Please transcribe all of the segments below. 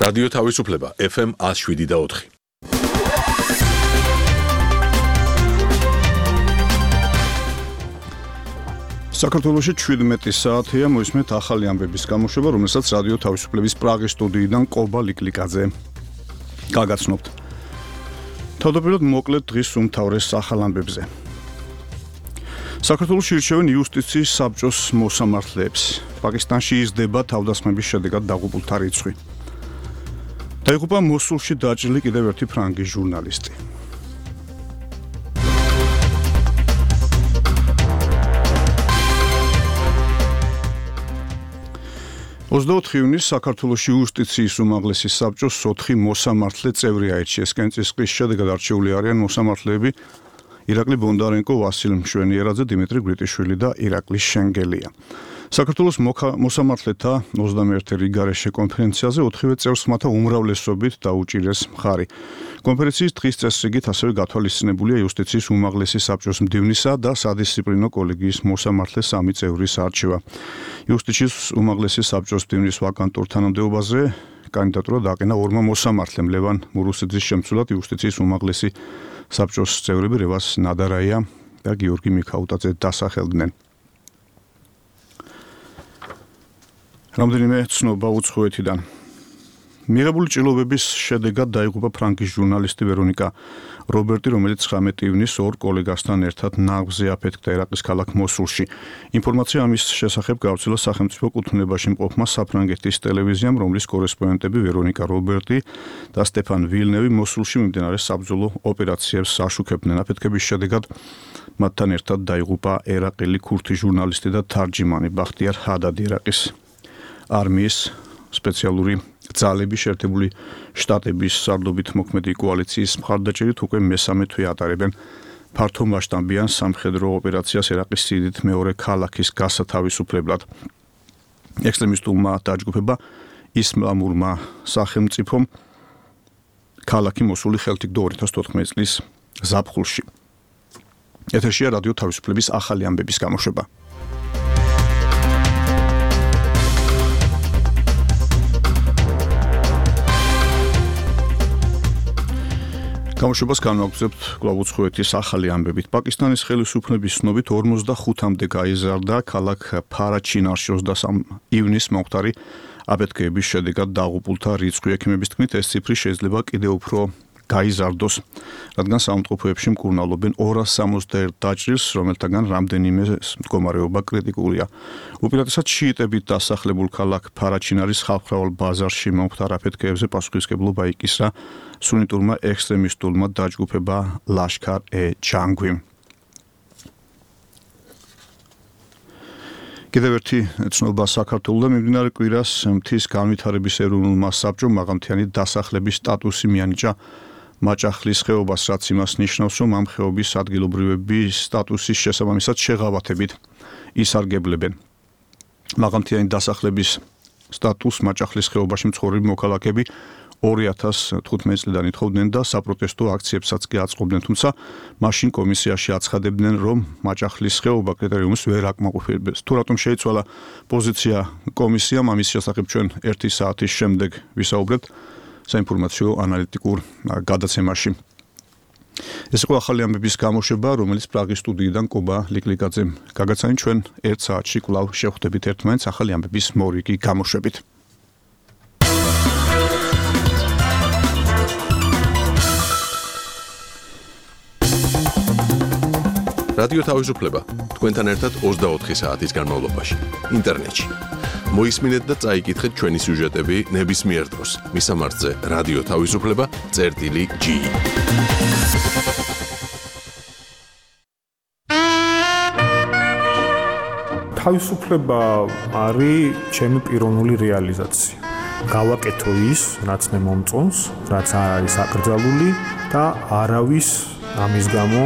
რადიო თავისუფლება FM 107.4. საქართველოში 17 საათია მოისმენთ ახალი ამბების გამოშვება, რომელსაც რადიო თავისუფლების პრაღის სტუდიიდან კობა ლიკლიკაძე გაგაცნობთ. თავდაპირველად მოკლედ დღის უმთავრეს ახალ ამბებზე. საქართველოში ირჩევენ იუსტიციის საბჭოს მოსამართლეებს. პაკისტანში იზრდება თავდასხმების შედეგად დაღუპულთა რიცხვი. დაიღუპა მოსულში დაჭრილი კიდევ ერთი ფრანგი ჟურნალისტი. 24 ივნისს საქართველოში იუსტიციის უმაღლესი საბჭოს 4 მოსამართლე წევრი აირჩიეს. კენჭისყრის შედეგად არჩეული არიან მოსამართლეები ირაკლი ბონდარენკო, ვასილ მშვენიერაძე, დიმიტრი გრიტიშვილი და ირაკლი შენგელია. საქართველოს მოსამართლეთა 21 რიგარეშე კონფერენციაზე 4-ვე წევრს მათი უმრავლესობით დაუჭირეს მხარი. კონფერენციის დღის წესრიგით ასევე გათვალისწინებულია იუსტიციის უმაღლესი საბჭოს მდივნისა და სადისციპლინო კოლეგიის მოსამართლე 3 წევრის არჩევა. იუსტიციის უმაღლესი საბჭოს მდივნის ვაკანტურ თანამდებობაზე კანდიდატურა დააყენა 2 მოსამართლემ. ლევან მურუსიძის შემცვლად იუსტიციის უმაღლესი საბჭოს წევრები რევას ნადარაია და გიორგი მიქაუტაძე დასახელდნენ. რამდენიმე ცნობა უცხოეთიდან. მიღებული ჭრილობების შედეგად დაიღუპა ფრანგის ჟურნალისტი ვერონიკა რობერტი, რომელიც 19 ივნისს 2 კოლეგასთან ერთად ნაღვზე აფეთქდა ერაყის ქალაქ მოსულში. ინფორმაცია ამის შესახებ გავრცელა სახელმწიფო კუთვნილებაში მყოფმა საფრანგეთის ტელევიზიამ, რომლის კორესპონდენტები ვერონიკა რობერტი და სტეფან ვილნევი მოსულში მიმდინარე საბრძოლო ოპერაციებს აშუქებდნენ. აფეთქების შედეგად მათთან ერთად დაიღუპა ერაყელი ქურთი ჟურნალისტი და თარჯიმანი ბახტიარ ჰადადი. ერაყის არმიის სპეციალური ძალები შეერთებული შტატების სარდლობით მოქმედი კოალიციის მხარდაჭერით უკვე მესამე თვე ატარებენ ფართომასშტაბიან სამხედრო ოპერაციას ერაყის სიდიდით მეორე ქალაქის გასათავისუფლებლად. ექსტრემისტულმა დაჯგუფება ისლამურმა სახელმწიფომ ქალაქი მოსული ხელთ იგდო 2014 წლის ზაფხულში. ეთერშია რადიო თავისუფლების ახალი ამბების გამოშვება. გამოშვებას განვაგრძობთ კვლავ უცხოეთის ახალი ამბებით. პაკისტანის ხელისუფლების ცნობით 45-მდე გაიზარდა ქალაქ ფარაჩინარში 23 ივნისს მომხდარი აფეთქების შედეგად დაღუპულთა რიცხვი. ექიმების თქმით, ეს ციფრი შეიძლება კიდევ უფრო გაიზარდოს, რადგან საავადმყოფოებში მკურნალობენ 261 დაჭრილს, რომელთაგან რამდენიმე მდგომარეობა კრიტიკულია. უპირატესად შიიტებით დასახლებულ ქალაქ ფარაჩინარის ხალხმრავალ ბაზარში მომხდარ აფეთქებზე პასუხისმგებლობა იკისრა სუნიტურმა ექსტრემისტულმა დაჯგუფება ლაშქარ-ე-ჯანგვიმ. კიდევ ერთი ცნობა საქართველოს მიმდინარე კვირას მთის განვითარების ეროვნულმა საბჭომ მაღალმთიანი დასახლების სტატუსი მიანიჭა მაჭახლის ხეობას, რაც იმას ნიშნავს, რომ ამ ხეობის ადგილობრივების სტატუსის შესაბამისად შეღავათებით ისარგებლებენ. მაღალმთიანი დასახლების სტატუსს მაჭახლის ხეობაში მცხოვრები მოქალაქეები 2015 წლიდან ითხოვდნენ და საპროტესტო აქციებსაც კი აწყობდნენ, თუმცა მაშინ კომისიაში აცხადებდნენ, რომ მაჭახლის ხეობა კრიტერიუმს ვერ აკმაყოფილებს. თუ რატომ შეიცვალა პოზიცია კომისიამ, ამის შესახებ ჩვენ 1 საათის შემდეგ ვისაუბრებთ საინფორმაციო ანალიტიკურ გადაცემაში. ეს იყო ახალი ამბების გამოშვება, რომელიც პრაღის სტუდიიდან კობა ლიკლიკაძემ გაგაცანი. ჩვენ 1 საათში კვლავ შევხვდებით ერთმანეთს ახალი ამბების მორიგი გამოშვებით. რადიო თავისუფლება თქვენთან ერთად 24 საათის განმავლობაში ინტერნეტში. მოისმინეთ და წაიკითხეთ ჩვენი სიუჟეტები ნებისმიერ დროს. მისამართზე რადიო თავისუფლება.ge. თავისუფლება არის ჩემი პიროვნული რეალიზაცია. გავაკეთო ის, რაც მე მომწონს, რაც არ არის აკრძალული და არავის ამის გამო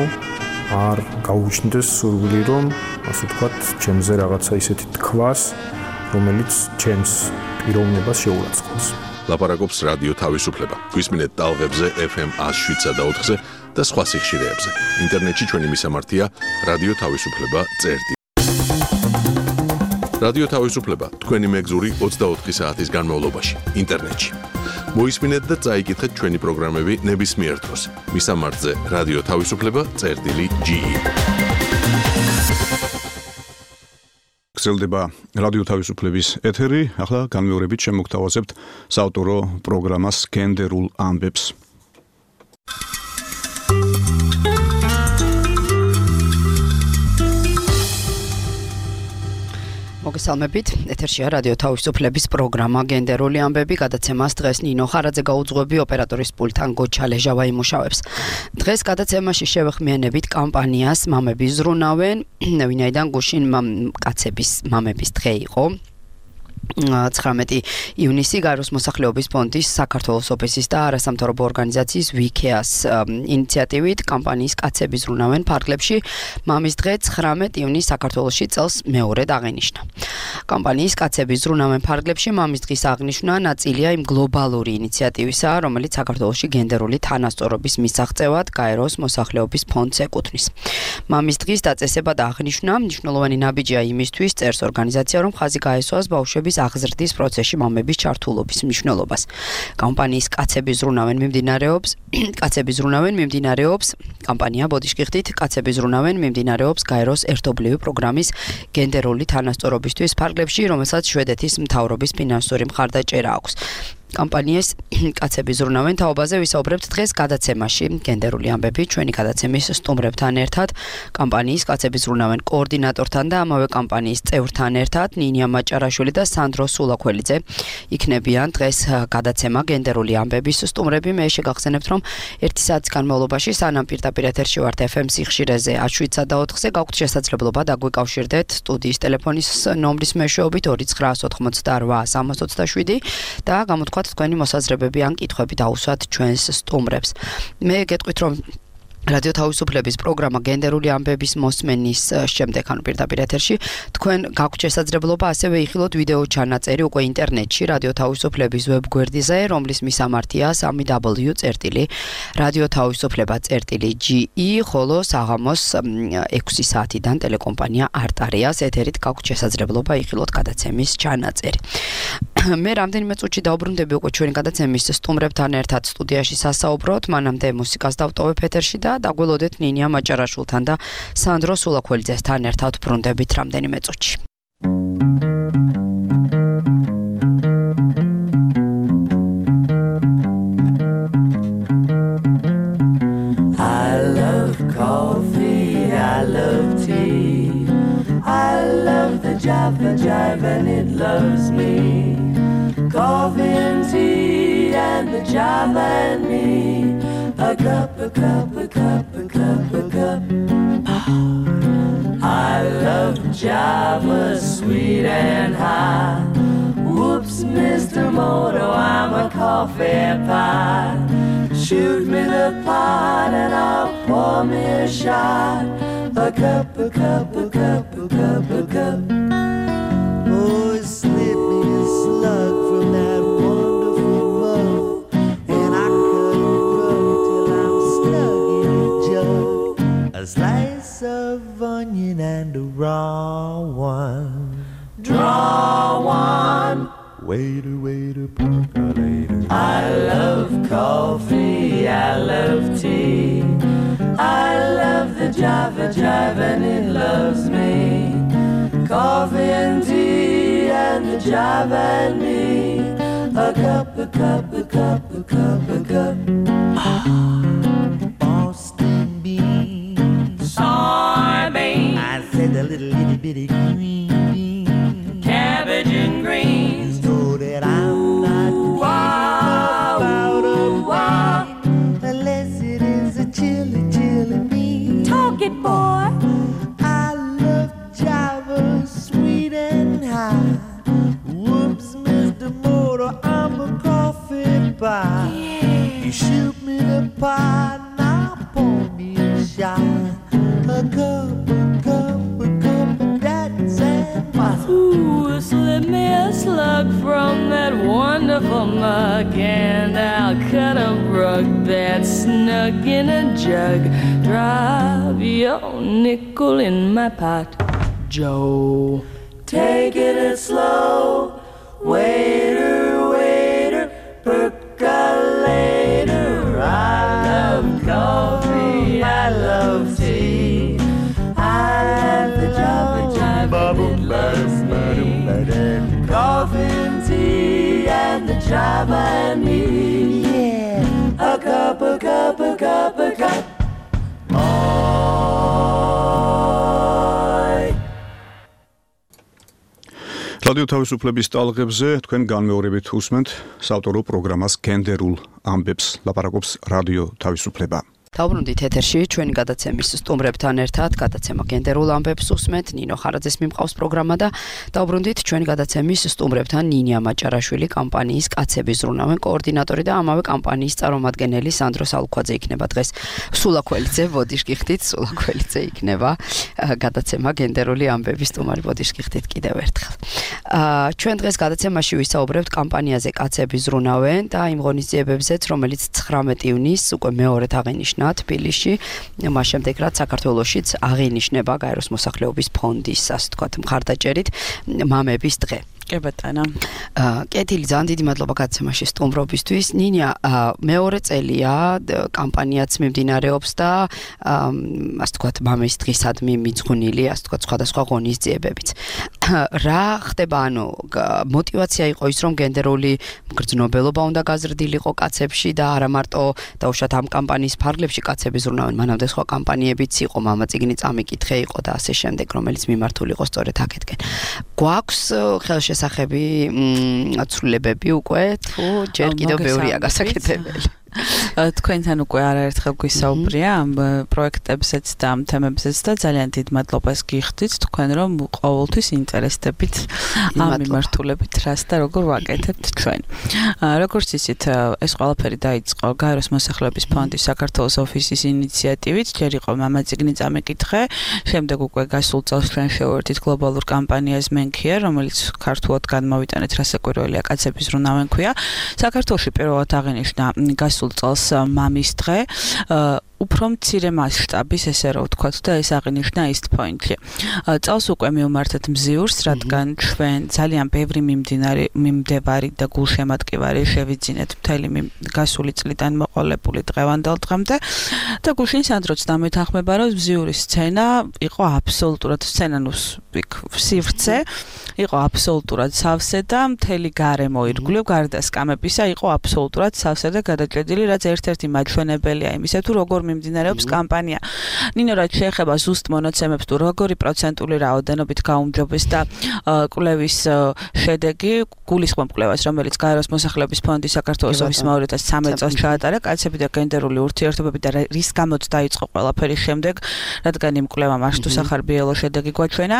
არ გაუჩნდეს სურვილი, რომ ასე ვთქვათ, ჩემზე რაღაცა ისეთი თქვას, რომელიც ჩემს პიროვნებას შეურაცხყოფს. ლაპარაკობს რადიო თავისუფლება. გვისმინეთ ტალღებზე FM 107.4-ზე და სხვა სიხშირეებზე. ინტერნეტში ჩვენი მისამართია რადიო თავისუფლება.ge. რადიო თავისუფლება თქვენი მეგზური 24 საათის განმავლობაში ინტერნეტში. მოისმინეთ და წაიკითხეთ ჩვენი პროგრამები ნებისმიერ დროს. მისამართზე რადიო თავისუფლება წერტილი.ge. გრძელდება რადიო თავისუფლების ეთერი. ახლა განმეორებით შემოგთავაზებთ საავტორო პროგრამას გენდერულ ამბებს. მოგესალმებით. ეთერშია რადიო თავისუფლების პროგრამა გენდერული ამბები. გადაცემას დღეს ნინო ხარაძე გაუძღვები, ოპერატორის პულტთან გოჩა ლეჟავა იმუშავებს. დღეს გადაცემაში შევეხმიანებით კამპანიას მამები ზრუნავენ, ვინაიდან გუშინ კაცების მამების დღე იყო. 19 ივნისი გაეროს მოსახლეობის ფონდის საქართველოს ოფისის და არასამთავრობო ორგანიზაციის ვიქეას ინიციატივით კამპანიის კაცები ზრუნავენ ფარგლებში მამის დღე 19 ივნისს საქართველოში წელს მეორედ აღინიშნა. კამპანიის კაცები ზრუნავენ ფარგლებში მამის დღის აღნიშვნა ნაწილია იმ გლობალური ინიციატივისა, რომელიც საქართველოში გენდერული თანასწორობის მისაღწევად გაეროს მოსახლეობის ფონდს ეკუთვნის. მამის დღის დაწესება და აღნიშვნა მნიშვნელოვანი ნაბიჯია იმისთვის, წერს ორგანიზაცია, რომ ხაზი გაესვას ბავშვების აღზრდის პროცესში მამების ჩართულობის მნიშვნელობას. კამპანიის კაცები ზრუნავენ მიმდინარეობს კამპანია ბოდიშკი ხდით კაცები ზრუნავენ მიმდინარეობს გაეროს ერთობლივი პროგრამის გენდერული თანასწორობისთვის ფარგლებში, რომელსაც შვედეთის მთავრობის ფინანსური მხარდაჭერა აქვს. კამპანიის კაცები ზრუნავენ თაობაზე ვისაუბრებთ დღეს გადაცემაში. გენდერული ამბები ჩვენი გადაცემის სტუმრებთან ერთად, კამპანიის კაცები ზრუნავენ კოორდინატორთან და ამავე კამპანიის წევრთან ერთად, ნინია მაჭარაშვილი და სანდრო სულაქველიძე იქნებიან დღეს გადაცემა გენდერული ამბების სტუმრები. მე შეგახსენებთ, რომ 1 საათის განმავლობაში სანამ პირდაპირ ეთერში ვართ FM სიხშირეზე 107.4-ზე გაქვთ შესაძლებლობა დაგვიკავშირდეთ სტუდიის ტელეფონის ნომრის მეშვეობით 2998327 და გამოთქვათ თქვენი მოსაზრებები ან კითხვები დაუსვათ ჩვენს სტუმრებს. მე გეტყვით, რომ რადიო თავისუფლების პროგრამა გენდერული ამბების მოსმენის შემდეგ, ანუ პირდაპირ ეთერში, თქვენ გაქვთ შესაძლებლობა ასევე იხილოთ ვიდეო ჩანაწერი უკვე ინტერნეტში რადიო თავისუფლების ვებგვერდზე, რომლის მისამართია www.radiotavisufleba.ge, ხოლო საღამოს 6 საათიდან ტელეკომპანია არტარიას ეთერით გაქვთ შესაძლებლობა იხილოთ გადაცემის ჩანაწერი. მე რამდენიმე წუთში დაუბრუნდები უკვე ჩვენი გადაცემის სტუმრებთან ერთად სტუდიაში სასაუბროთ, მანამდე მუსიკას დავტოვებ ეთერში და დაგველოდეთ ნინია მაჭარაშვილთან და სანდრო სულაქველიძესთან ერთად ბრუნდებით რამდენიმე წუთში. I love coffee, I love tea, I love the jive and it loves me. Coffee and tea and the jive and me. A cup, a cup, a cup, a cup, a cup. I love Java, sweet and high. Whoops, Mr. Moto, I'm a coffee pie. Shoot me the pot and I'll pour me a shot. A cup, a cup, a cup, a cup, a cup. Oh, slip me a slug from that wonderful mug, and I cut a rug till I'm stuck in a jug. A slice of onion and a raw one. Draw one. Waiter, waiter, percolator. I love coffee, I love tea, I love the jive and it loves me. Coffee and tea and the jive and me. A cup, a cup, a cup, a cup, a cup. Boston beans, soybeans. I said a little itty bitty green beans, cabbage and greens. So that I'm not about a wine unless it is a chili, chili bean. Talk it, boy. I love Java, sweet and high. Whoops, Mr. Motor, I'm a coffee pie. Yeah. You shoot me the pot, now pour me a shot. A cup, a cup, a cup of that sand. Ooh, slip me a slug from that wonderful mug, and I'll cut a rug that's snug in a jug. Drop your nickel in my pot, Joe. Taking it slow, waiter, waiter, perk Java and me. Yeah. A cup. რადიო თავისუფლების ტალღებზე თქვენ განმეორებით უსმენთ საავტორო პროგრამას გენდერულ ამბებს ლაპარაკობს რადიო თავისუფლება. დავბრუნდით ეთერში ჩვენი გადაცემის სტუმრებთან ერთად გადაცემა გენდერულ ამბებს უსმენთ ნინო ხარაძეს მიმყავს პროგრამა და დავბრუნდით ჩვენი გადაცემის სტუმრებთან ნინია მაჭარაშვილი კამპანიის კაცები ზრუნავენ კოორდინატორი და ამავე კამპანიის წარმომადგენელი სანდრო სალუქვაძე იქნება დღეს სულაქველიძე ბოდიშკიხდით სულაქველიძე იქნება გადაცემა გენდერული ამბების სტუმარი ბოდიშკიხდით კიდევ ერთხელ ჩვენ დღეს გადაცემაში ვისაუბრებთ კამპანიაზე კაცები ზრუნავენ და იმ ღონისძიებებზეც რომელიც 19 ივნისს უკვე მეორედ აღინიშნა თბილისში მას შემდეგ რაც საქართველოშიც აღინიშნება გაეროს მოსახლეობის ფონდის ასე ვთქვათ მხარდაჭერით მამების დღე. კი ბატონო. კეთილი ძალიან დიდი მადლობა გადაცემაში სტუმრობისთვის. ნინია მეორე წელია კამპანიაც მიმდინარეობს და ასე ვთქვათ მამის დღისადმი მიძღვნილი ასე ვთქვათ სხვადასხვა ღონისძიებებიც. რა ხდება ანუ мотивация იყო ის რომ გენდერული მგრძნობელობა უნდა გაზრდილიყო კაცებში და არა მარტო დაუშვათ ამ კამპანიის ფარგლებში კაცები ზრუნავენ მანამდე სხვა კამპანიებიც იყო მამაწიგნი წამიკითხე იყო და ასე შემდეგ რომელიც მიმართული იყო სწორედ აქეთკენ. გვაქვს ხელშესახები ცვლილებები უკვე თუ ჯერ კიდევ ბევრია გასაკეთებელი. თქვენთან უკვე არაერთხელ გვისაუბრია ამ პროექტებზეც და ამ თემებზეც და ძალიან დიდ მადლობას გიხდით თქვენ რომ ყოველთვის ინტერესდებით ამ მიმართულებით რას და როგორ ვაკეთებთ ჩვენ. როგორც იცით ეს ყველაფერი დაიწყო გაეროს მოსახლეობის ფონდის საქართველოს ოფისის ინიციატივით ჯერ იყო მამაწიგნი წამიკითხე შემდეგ უკვე გასულ წელს ჩვენ შევერთით გლობალურ კამპანიას მენქია რომელიც ქართულად განმოვიტანეთ რასაკვირველია კაცების ზრუნავენ ქვია. საქართველოში პირველად აღინიშნა გასულ წელს მამის დღე უფრო მცირე მასშტაბის ესე რა ვთქვათ და ეს აღინიშნა East Point-ში. წელს უკვე მივმართეთ მზიურს, რადგან ჩვენ ძალიან ბევრი მიმდევარი და გულშემატკივარი შევიძინეთ მთელი გასული წლიდან მოყოლებული დღევანდელ დღემდე და გუშინ სანდროც დამეთანხმება რომ მზიურის სცენა იყო აბსოლუტურად სცენანუს სივრცე იყო აბსოლუტურად სავსე და მთელი გარემო ირგვლივ გარდა სკამებისა იყო აბსოლუტურად სავსე და გადაჭედილი რაც ერთ-ერთი მაჩვენებელია იმისა თუ როგორ მიმდინარეობს კამპანია. ნინო რაც შეეხება ზუსტ მონაცემებს თუ როგორი პროცენტული რაოდენობით გაუმჯობეს და კვლევის შედეგი გულისხმობ კვლევას რომელიც გაეროს მოსახლეობის ფონდის საქართველოს ოფისმა 2013 წელს ჩაატარა კაცები და გენდერული ურთიერთობები და რის გამოც დაიწყო ყველაფერი შემდეგ რადგან იმ კვლევამ აშტუ სახარბიელო შედეგი გვაჩვენა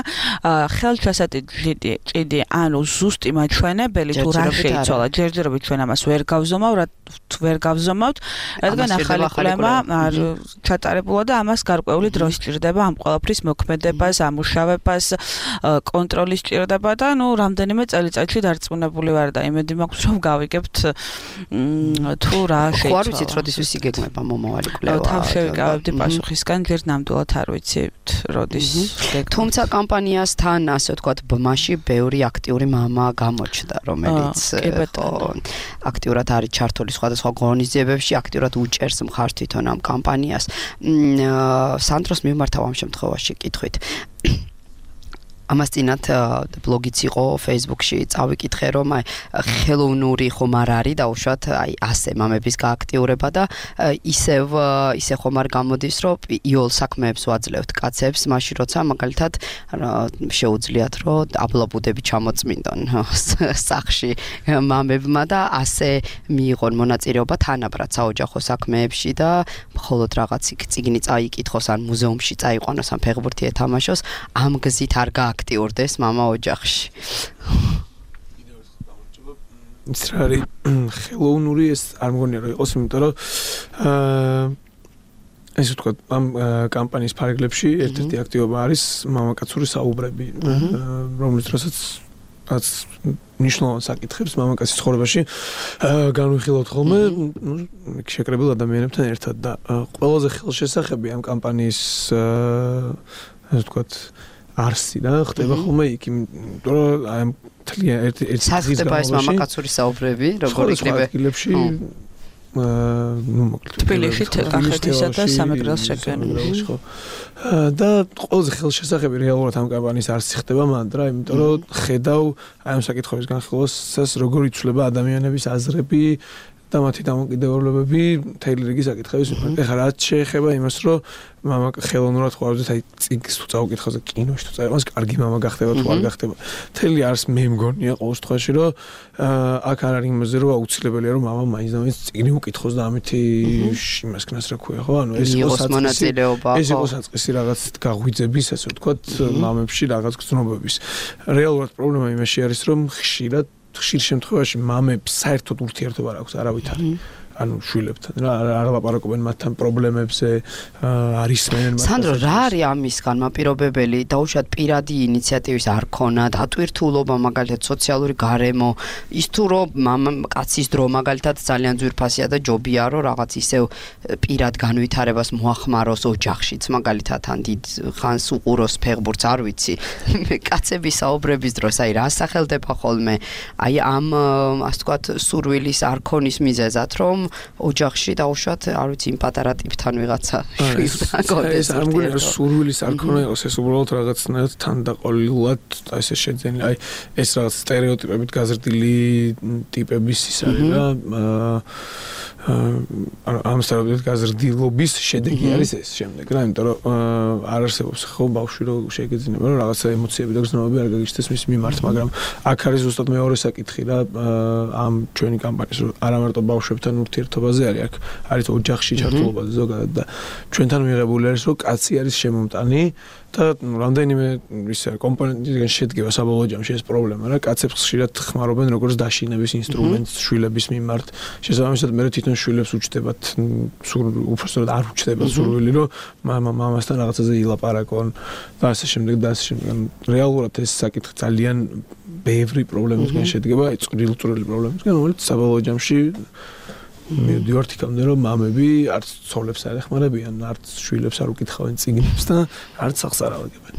ხელჩასატიჭიდი ანუ ზუსტი მაჩვენებელი თუ რა შეიცვალა ჯერჯერობით ჩვენ ამას ვერ გავზომავთ რადგან ახალი კვლევა არ ჩატარებულა და ამას გარკვეული დრო სჭირდება ამ ყველაფრის მოქმედებას, ამუშავებას, კონტროლის სჭირდება და ნუ რამდენიმე წელიწადში დარწმუნებული ვარ და იმედი მაქვს რომ გავიგებთ თუ რა შეიცვალა. ხო არ ვიცით როდის ვისიგეგმება მომავალი კვლევა. თავშევიკავებდი პასუხისგან ჯერ ნამდვილად არ ვიცით როდის გეგმება. თუმცა კამპანიასთან ასე ვთქვათ ბმაში ბევრი აქტიური მამა გამოჩნდა რომელიც აქტიურად არის ჩართული სხვადასხვა ღონისძიებებში აქტიურად უჭერს მხარს თვითონ ამ კამპანიას. სანდროს მიმართავ ამ შემთხვევაში კითხვით. ამას წინათ ბლოგიც იყო Facebook-ში წავიკითხე რომ აი ხელოვნური ხომ არ არის დაუშვათ აი ასე მამების გააქტიურება და ისე ხომ არ გამოდის რომ იოლ საქმეებს ვაძლევთ კაცებს მაშინ როცა მაგალითად შეუძლიათ რომ აბლაბუდები ჩამოწმინდონ სახში მამებმა და ასე მიიღონ მონაწილეობა თანაბრად საოჯახო საქმეებში და მხოლოდ რაღაც წიგნი წაიკითხოს ან მუზეუმში წაიყვანოს ან ფეხბურთი ეთამაშოს ამ გზით არ აქტიურდეს მამა ოჯახში. ის რა არის ხელოვნური ეს არ მგონია რომ იყოს, იმიტომ რომ ესე ვთქვათ ამ კამპანიის ფარგლებში ერთ-ერთი აქტივობა არის მამაკაცური საუბრები, რომელიც რასაც ნიშნულოვან საკითხებს მამაკაცის ცხოვრებაში განვიხილავთ ხოლმე შეკრებილ ადამიანებთან ერთად და ყველაზე ხელშესახები ამ კამპანიის ასე ვთქვათ არსი და ხდება ხოლმე იქ იმიტომ რომ აი მთლიან ერთ-ერთი ხდება ეს მამაკაცური საუბრები როგორ იქნება თბილისში კახეთისა და სამეგრელოს რეგიონში ხო და ყველაზე ხელშესახები რეალურად ამ კამპანიის არც ხდება მანდრა, იმიტომ რომ ხედავ აი ამ საკითხების განხილვას როგორ იცვლება ადამიანების აზრები და მათი დამოკიდებულებები მთელი რიგი საკითხების მიმართ. ეხლა რაც შეეხება იმას, რომ მამა ხელოვნურად ხვავდეთ აი წიგნს თუ წავკითხავს და კინოში თუ წაიღოს, კარგი მამა გახდება თუ არ გახდება. მთელი არს მე მგონია ყოველ შემთხვევაში, რომ აქ არ არის იმაზე, რომ აუცილებელია რომ მამა მაინც და მაინც წიგნი უკითხოს და ამითი იმას ქნას რა ქვია, ხო? ანუ ეს იყოს მონაწილეობა, ეს იყოს საწყისი რაღაც გაღვიძების, ასე ვთქვათ, მამებში რაღაც გრძნობების. რეალურად პრობლემა იმაში არის, რომ ხშირ შემთხვევაში მამებს საერთოდ ურთიერთობა არ აქვს არავითარ. ანუ შვილებთან რა არ ლაპარაკობენ მათთან პრობლემებზე, არ ისმენენ მათ. სანდრო, რა არის ამის განმაპირობებელი? დაუშვათ პირადი ინიციატივის არ ქონა, დატვირთულობა, მაგალითად სოციალური გარემო, ის თუ რომ კაცის დრო მაგალითად ძალიან ძვირფასია და ჯობია რომ რაღაც ისევ პირად განვითარებას მოახმაროს ოჯახშიც, მაგალითად ან დიდ ხანს უყუროს ფეხბურთს, არ ვიცი. კაცების საუბრების დროს აი რა სახელდება ხოლმე? აი ამ ასე ვთქვათ სურვილის არ ქონის მიზეზად რომ ოჯახში დაუშვათ, არ ვიცი, იმ პატარა ტიპთან ვიღაცა შვილთან გონდეს. ეს არ მგონია რომ სურვილის არ ქონა იყოს, ეს უბრალოდ რაღაცნაირად თანდაყოლილად ესე შეძენილი. აი ეს რაღაც სტერეოტიპებით გაზრდილი ტიპების ის არის რა. ამ სტერეოტიპებით გაზრდილობის შედეგი არის ეს შემდეგ რა, იმიტომ რომ არ არსებობს ხო ბავშვი რომ შეგეძინება რომ რაღაცა ემოციები და გრძნობები არ გაგიჩნდეს მის მიმართ, მაგრამ აქ არის ზუსტად მეორე საკითხი რა, ამ ჩვენი კამპანიის რომ არა მარტო ბავშვებთან ურთიერთობაზე არის, აქ არის ოჯახში ჩართულობაზე ზოგადად და ჩვენთან მიღებული არის რომ კაცი არის შემომტანი და რამდენიმე ისე კომპონენტისგან შედგება საბოლოო ჯამში ეს პრობლემა რა, კაცებს ხშირად ხმარობენ როგორც დაშინების ინსტრუმენტს შვილების მიმართ. შესაბამისად მე თვითონ შვილებს უჩდებათ უბრალოდ არ უჩდებათ სურვილი რომ მამასთან რაღაცაზე ილაპარაკონ და ასე შემდეგ და ასე შემდეგ. რეალურად ეს საკითხი ძალიან ბევრი პრობლემისგან შედგება, წვრილი პრობლემისგან, რომელიც საბოლოო ჯამში მივდივართ იქამდე რომ მამები არც ცოლებს არ ეხმარებიან, არც შვილებს არ უკითხავენ წიგნებს და არც სახს არ ავაგებენ.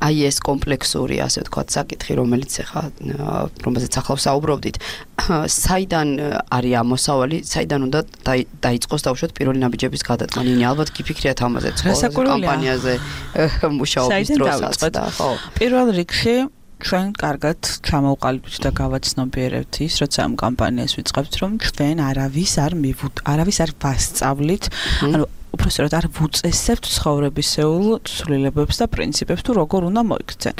აი ეს კომპლექსური, ასე ვთქვათ, საკითხი, რომელსაც ახლა საუბრობდით, საიდან არის ამოსავალი, საიდან უნდა დაიწყოს დაუშვათ პირველი ნაბიჯების გადატანა? ნინი, ალბათ გიფიქრიათ ამაზე კამპანიაზე მუშაობის დროსაც და ხო. პირველ რიგში ჩვენ კარგად ჩამოვყალიბდით და გავაცნობიერებთ ის, როცა ამ კამპანიას ვიწყებთ, რომ ჩვენ არავის არ ვასწავლით, ანუ უბრალოდ არ ვუწესებთ ცხოვრებისეულ ცვლილებებს და პრინციპებს თუ როგორ უნდა მოიქცენ.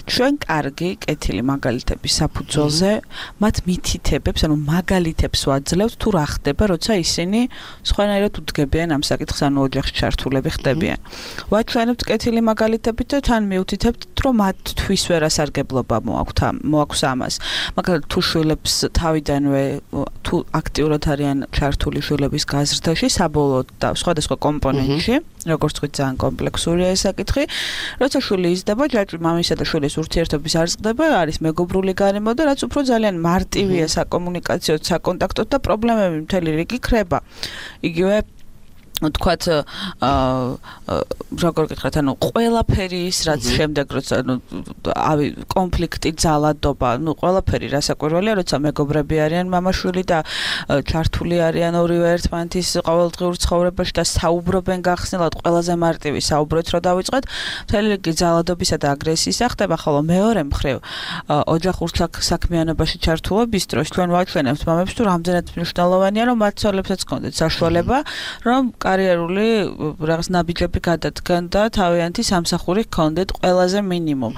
ჩვენ კარგი კეთილი მაგალითების საფუძველზე მათ მითითებებს, ანუ მაგალითებს ვაძლევთ თუ რა ხდება, როცა ისინი სხვანაირად უდგებიან ამ საკითხს, ანუ ოჯახში ჩართულები ხდებიან. ვაჩვენებთ კეთილი მაგალითებით და თან მივთითებთ, რომ მათთვის ვერასარგებლობა მოაქვს ამას. მაგალითად თუ შვილებს თავიდანვე თუ აქტიურად არიან ჩართული შვილების გაზრდაში, საბოლოოდ და სხვადასხვა კომპონენტში, როგორც ვთქვით, ძალიან კომპლექსურია ეს საკითხი. როცა შვილი იზრდება, ჯაჭვი მამისა და შვილის ურთიერთობის არ ზრდება, არის მეგობრული გარემო და რაც უფრო ძალიან მარტივია საკომუნიკაციოდ, საკონტაქტოდ და პრობლემები მთელი რიგი ქრება. იგივე თქვათ როგორ გითხრათ, ანუ ყველაფერი ის რაც შემდეგ როცა კონფლიქტი, ძალადობა, ყველაფერი რასაკვირველია, როცა მეგობრები არიან მამა-შვილი და ჩართული არიან ორივე ერთმანეთის ყოველდღიურ ცხოვრებაში და საუბრობენ გახსნილად, ყველაზე მარტივი საუბრით რო დავიწყეთ, მთელი რიგი ძალადობისა და აგრესიისა ხდება, ხოლო მეორე მხრივ ოჯახურ საქმიანობაში ჩართულობის დროს ჩვენ ვაჩვენებთ მამებს თუ რამდენად მნიშვნელოვანია რომ მათ ცოლებსაც ჰქონდეთ საშუალება რომ კარიერული რაღაც ნაბიჯები გადადგან და თავიანთი სამსახური ჰქონდეთ ყველაზე მინიმუმ.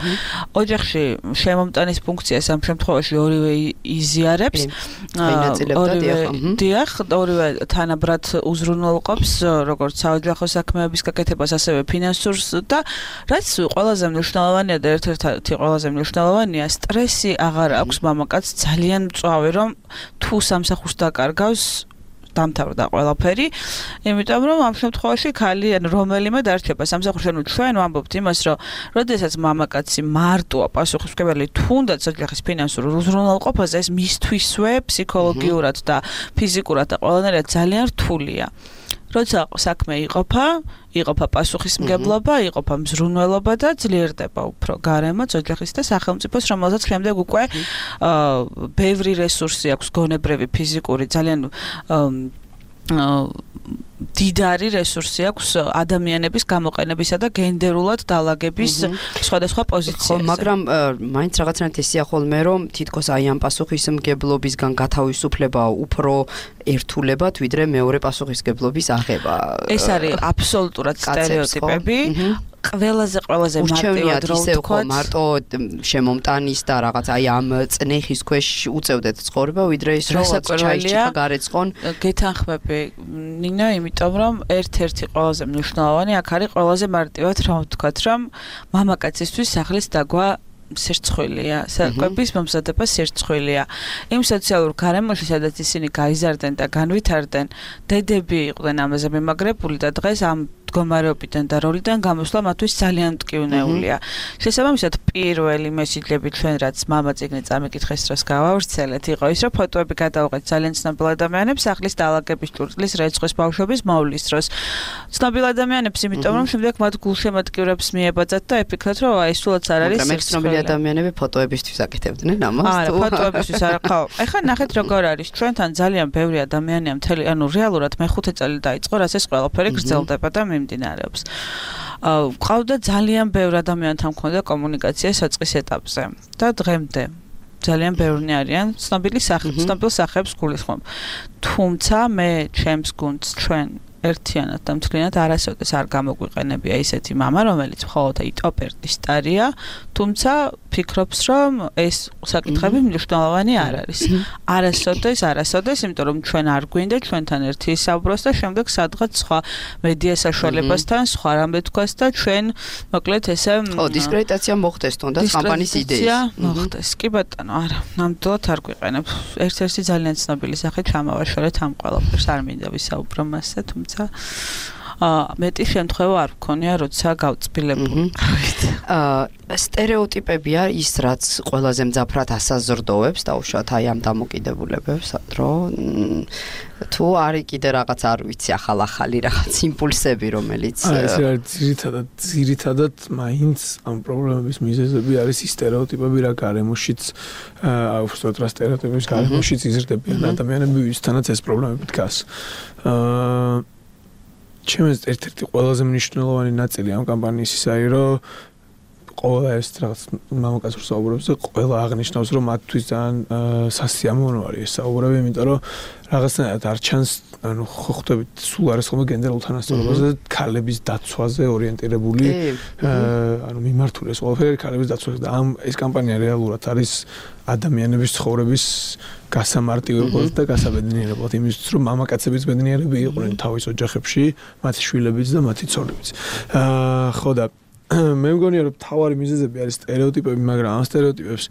ოჯახში შემომტანის ფუნქციას ამ შემთხვევაში ორივე იზიარებს. ორივე თანაბრად უზრუნველყოფს როგორც საოჯახო საქმეების გაკეთებას, ასევე ფინანსურს და რაც ყველაზე მნიშვნელოვანია და ერთ-ერთი ყველაზე მნიშვნელოვანია, სტრესი აღარ აქვს მამაკაცს ძალიან მწვავე რომ თუ სამსახურს დაკარგავს დამთავრდა ყველაფერი, იმიტომ რომ ამ შემთხვევაში ქალი ან რომელიმე დარჩება სამსახურში. ანუ ჩვენ ვამბობთ იმას, რომ როდესაც მამაკაცი მარტოა პასუხისმგებელი თუნდაც ოჯახის ფინანსურ უზრუნველყოფაზე, ეს მისთვისვე ფსიქოლოგიურად და ფიზიკურად და ყველანაირად ძალიან რთულია. როცა საქმე იყოფა პასუხისმგებლობა, იყოფა მზრუნველობა და ძლიერდება უფრო გარემო, ოჯახის და სახელმწიფოს, რომელსაც შემდეგ უკვე ბევრი რესურსი აქვს, გონებრივი, ფიზიკური, ძალიან დიდარი რესურსი აქვს ადამიანების გამოყენებისა და გენდერულად დალაგების სხვადასხვა პოზიციებზე. მაგრამ მაინც რაღაცნაირად ისეა ხოლმე რომ თითქოს აი ამ პასუხისმგებლობისგან გათავისუფლება უფრო ერთულებად ვიდრე მეორე პასუხისმგებლობის აღება. ეს არის აბსოლუტურად სტერეოტიპები. ყველაზე მარტივად რო ვთქვა მარტო შემომტანის და რაღაც აი ამ წნეხის ქვეშ უწევდეთ ცხოვრება ვიდრე ის რომ ჩაიჭიქა გარეცხონ გეთანხმები ნინა იმიტომ რომ ერთ-ერთი ყველაზე მნიშვნელოვანი აქ არის ყველაზე მარტივად რა ვთქვათ რომ მამაკაცისთვის სახლის დაგვა სერცხვილია, საკვების მომზადება სერცხვილია. იმ სოციალურ გარემოში, სადაც ისინი გაიზარდნენ და განვითარდნენ, დედები იყვნენ ამაზე მიმაგრებული და დღეს ამ მდგომარეობიდან და როლიდან გამოსვლა მათთვის ძალიან მტკივნეულია. შესაბამისად, პირველი მესიჯები ჩვენ რაც მამა წიგნი წამიკითხეს დროს გავავრცელეთ, იყო ის, რომ ფოტოები გადავიღეთ ძალიან ცნობილ ადამიანებს, სახლის დალაგების ჭურჭლის, რეცხვის, ბავშვების მოვლის დროს. ცნობილ ადამიანებს, იმიტომ რომ შემდეგ მათ გულშემატკივრებს მიებაძათ და ეფიქრათ, რომ აი სულაც არ არის ცნობილი ადამიანები ფოტოებისთვის აკეთებდნენ ამას. არა, ფოტოებისთვის არა, ხო. ეხლა ნახეთ როგორ არის. ჩვენთან ძალიან ბევრი ადამიანია მთელი, ანუ რეალურად მე-5 წელი დაიწყო, რაც ეს ყველაფერი გრძელდება და მიმდინარეობს. ყავდა ძალიან ბევრი ადამიანთან მქონდა კომუნიკაცია საწყის ეტაპზე და დღემდე ძალიან ბევრი არიან ცნობილ სახეებს გულისხმობ. თუმცა მე ჩემს გუნდს ჩვენ ერთიანად და მთლიანად არასოდეს არ გამოგვიყენებია ისეთი მამა, რომელიც მხოლოდ ტოპერდის სტარია, თუმცა ფიქრობს, რომ ეს საკითხები მნიშვნელოვანი არ არის. არასოდეს, იმიტომ რომ ჩვენ არ გვინდა ჩვენთან ერთი ისაუბროს და შემდეგ სადღაც სხვა მედია საშუალებასთან სხვა რამე თქვას და ჩვენ მოკლედ ესე დისკრედიტაცია მოხდეს თუნდაც კამპანიის იდეის. მოხდეს. კი ბატონო, არა, ნამდვილად არ გვიყენებ. ერთ-ერთი ძალიან ცნობილი სახე ჩამავაშორეთ ამ ყველაფერს, არ მინდა ვისაუბრო მასზე, თუმცა მეტი შემთხვევა არ მქონია, როცა გავწბილებული. სტერეოტიპებია ის, რაც ყველაზე მძაფრად ასაზრდოებს და უშუალოდ აი ამ დამოკიდებულებებს, რომ თუ არის კიდე რაღაც არ ვიცი, ახალი რაღაც იმპულსები, რომელიც ეს ძირითადად მაინც ამ პრობლემების მიზეზები არის ის სტერეოტიპები, რა გარემოშიც უბრალოდ რა სტერეოტიპების გარემოშიც იზრდებიან ადამიანები, ვისთანაც ეს პრობლემები დგას. ჩემს ერთ-ერთი ყველაზე მნიშვნელოვანი ნაწილი ამ კამპანიის ის არის, რომ ყველა ეს რაღაც მამაკაცურ საუბრებზე ყველა აღნიშნავს, რომ მათთვის ძალიან სასიამოვნო არის ეს საუბრები, იმიტომ რომ რაღაცნაირად არ ჩანს, ანუ ხო ხვდებით, სულ არის ხოლმე გენდერულ თანასწორობაზე და ქალების დაცვაზე ორიენტირებული, ანუ მიმართული ეს ყველაფერი ქალების დაცვაზე და ეს კამპანია რეალურად არის ადამიანების ცხოვრების გასამარტივებლად და გასაბედნიერებლად იმისთვის, რომ მამაკაცების ბედნიერები იყვნენ თავის ოჯახებში, მათი შვილებიც და მათი ცოლებიც. ხო და მე მგონია რომ თავარი მიზეზები არის სტერეოტიპები, მაგრამ ამ სტერეოტიპებს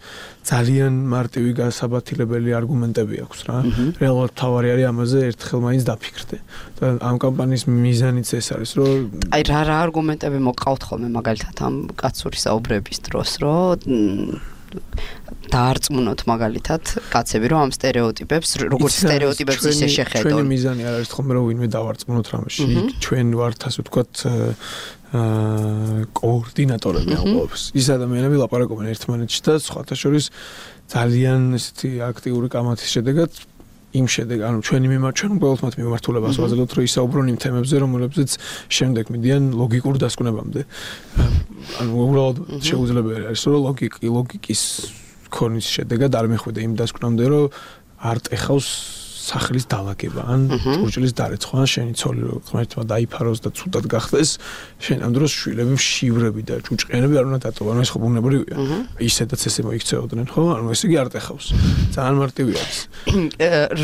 ძალიან მარტივი გასაბათილებელი არგუმენტები აქვს რა. რეალურად თავარი არის ამაზე ერთხელ მაინც დაფიქრდე. და ამ კამპანიის მიზანიც ეს არის, რომ აი რა არგუმენტები მოყავთ ხოლმე მაგალითად ამ კაცური საუბრების დროს, რომ დაარწმუნოთ მაგალითად კაცები, რომ ამ სტერეოტიპებს, როგორც სტერეოტიპებს ისე შეხედონ. ჩვენი მიზანი არ არის ხოლმე რომ ვინმე დავარწმუნოთ რამეში. ჩვენ ვართ ასე ვთქვათ კოორდინატორები ამ ყველაფერს. ის ადამიანები ლაპარაკობენ ერთმანეთში და სხვათა შორის ძალიან ესეთი აქტიური კამათის შედეგად ანუ ჩვენ უბრალოდ მათ მიმართულებას ვაძლევთ, რომ ისაუბრონ იმ თემებზე, რომელებზეც შემდეგ მიდიან ლოგიკურ დასკვნებამდე. ანუ უბრალოდ შეუძლებელი არის, რომ ლოგიკის ქონის შედეგად არ მეხვიდე იმ დასკვნამდე, რომ არ ტეხავს სახლის დალაგება, ან ჭურჭლის დარეცხვა, ან შენი ცოლი რო ღმერთმა დაიფაროს და ცუდად გახდეს, შენ ამ დროს შვილები მშივრები და ჭუჭყიანები არ უნდა დატოვა, ანუ ეს ხო ბუნებრივია. ისედაც ესე მოიქცეოდნენ, ხო? ანუ ესე იგი არ ტეხავს. ძალიან მარტივი არის.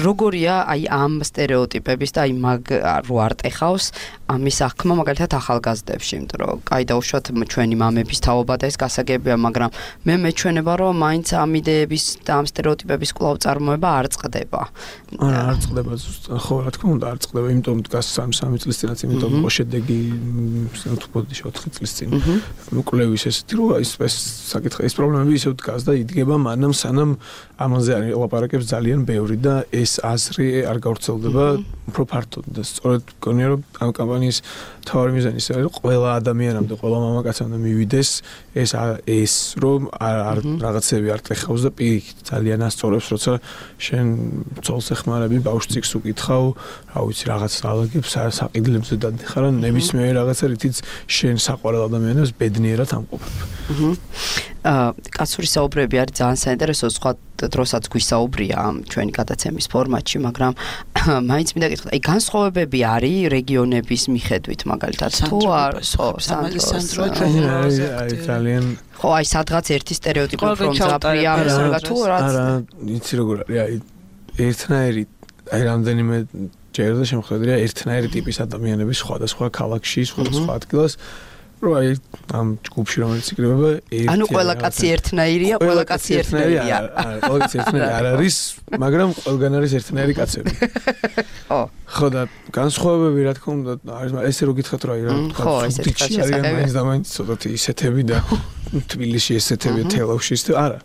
როგორია აი ამ სტერეოტიპების და აი მაგ რო არ ტეხავს, ამის აღქმა მაგალითად ახალგაზრდებში, იმიტომ რომ კაი დაუშვათ ჩვენი მამების თაობა და ეს გასაგებია, მაგრამ მე მეჩვენება რომ მაინც ამ იდეების და ამ სტერეოტიპების კვლავ წარმოება არ წყდება. არ წყდება ზუსტად, ხო, რა თქმა უნდა, არ წყდება, იმიტომ დგას 3 წლის წინაც, იმიტომ იყო შედეგი ნოთბოდი 4 წლის წინ. კვლევის ესეთი რომ ეს საკითხი, ეს პრობლემები ისევ დგას და იდგება მანამ სანამ ამაზე არ ელაპარაკებს ძალიან ბევრი და ეს აზრი არ გავრცელდება უფრო ფართოდ და სწორედ გონია რომ ამ კამპანიის მთავარი მიზანი ის არის რომ ყველა ადამიანამდე, ყველა მამაკაცამდე მივიდეს ეს რომ არ რაღაცები არ ტეხავს და პირიქით ძალიან ასწორებს, როცა შენ ძოლს ეხმარები, ბავშვს წიგნს უკითხავ, რა ვიცი, რაღაც ალაგებს საყიდლებზე დადიხარ, ნებისმიერი რაღაცა რითიც შენ საყვარელ ადამიანებს ბედნიერად ამყოფებ. კაცური საუბრები არის ძალიან საინტერესო, სხვა დროსაც გვისაუბრია ამ ჩვენი გადაცემის ფორმატში, მაგრამ მაინც მინდა გითხრათ, აი განსხვავებები არის რეგიონების მიხედვით, მაგალითად, თუ არ ხო, სანდრო ძალიან ხო, აი სადღაც ერთი სტერეოტიპი ფრონტზაპია, მესრიგა თუ რაც არა, იცი როგორ არის, აი ერთნაირი, აი რამდენიმე ჯერ და შემოხვედრია ერთნაირი ტიპის ადამიანების სხვადასხვა ქალაქში, სხვადასხვა ადგილას რომ აი ამ ჯგუფში რომელიც იკრიბება ანუ ყველა კაცი ერთნაირია, ყველა კაცი ერთნაირია. ყველა კაცი ერთნაირი არ არის, მაგრამ ყველგან არის ერთნაირი კაცები. ხო და განსხვავებები რა თქმა უნდა არის, ესე რო გითხრათ რა ხო, ესეთი არის და მაინც ცოტათი ისეთები და თბილისში ესეთები თელავში და არა.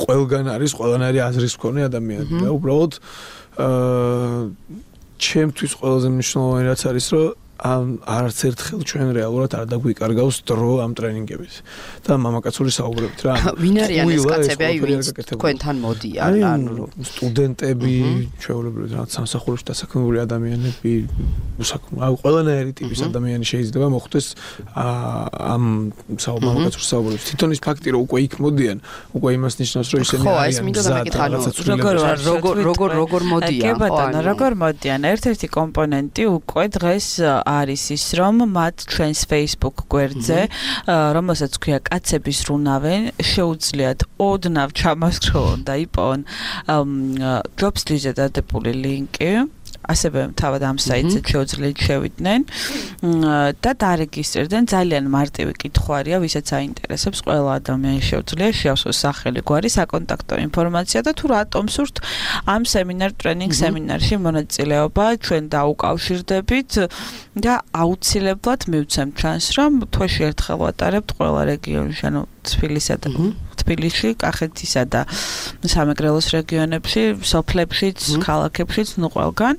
ყველგან არის ყველანაირი აზრის მქონე ადამიანები და უბრალოდ ჩემთვის ყველაზე მნიშვნელოვანი რაც არის რომ არც ერთხელ ჩვენ რეალურად არ დაგვიკარგავს დრო ამ ტრენინგების და მამაკაცური საუბრებით რა. ვინ არიან ეს კაცები, აი ვინც თქვენთან მოდიან, ანუ სტუდენტები, ჩვეულებრივ რა სამსახურში დასაქმებული ადამიანები, აი ყველანაირი ტიპის ადამიანი შეიძლება მოხვდეს ამ მამაკაცურ საუბრებში. თვითონ ის ფაქტი რომ უკვე იქ მოდიან, უკვე იმას ნიშნავს რომ ისინი ხო, ეს მინდა მეკითხა, როგორ მოდიან, ხო, როგორ მოდიან. ერთ-ერთი კომპონენტი უკვე დღეს არის ის რომ მათ ჩვენს Facebook გვერდზე, რომელსაც ქვია კაცების რუნავენ, შეუძლიათ ოდნავ ჩამასხროლონ და იპოვონ ჯობსლიზე დადებული ლინკი. ასევე თავად ამ საიტზე შეუძლიათ შევიდნენ და დარეგისტრირდნენ. ძალიან მარტივი კითხვარია, ვისაც აინტერესებს, ყველა ადამიანი შეუძლია შეავსოს სახელი, გვარი, საკონტაქტო ინფორმაცია და თუ რატომ სურთ ამ ტრენინგ სემინარში მონაწილეობა, ჩვენ დაუკავშირდებით და აუცილებლად მივცემთ ჩანს, რომ თვეში ერთხელ ვატარებთ ყველა რეგიონში, ანუ თბილისში, კახეთისა და სამეგრელოს რეგიონებში, სოფლებშიც, ქალაქებშიც, ნუ ყველგან.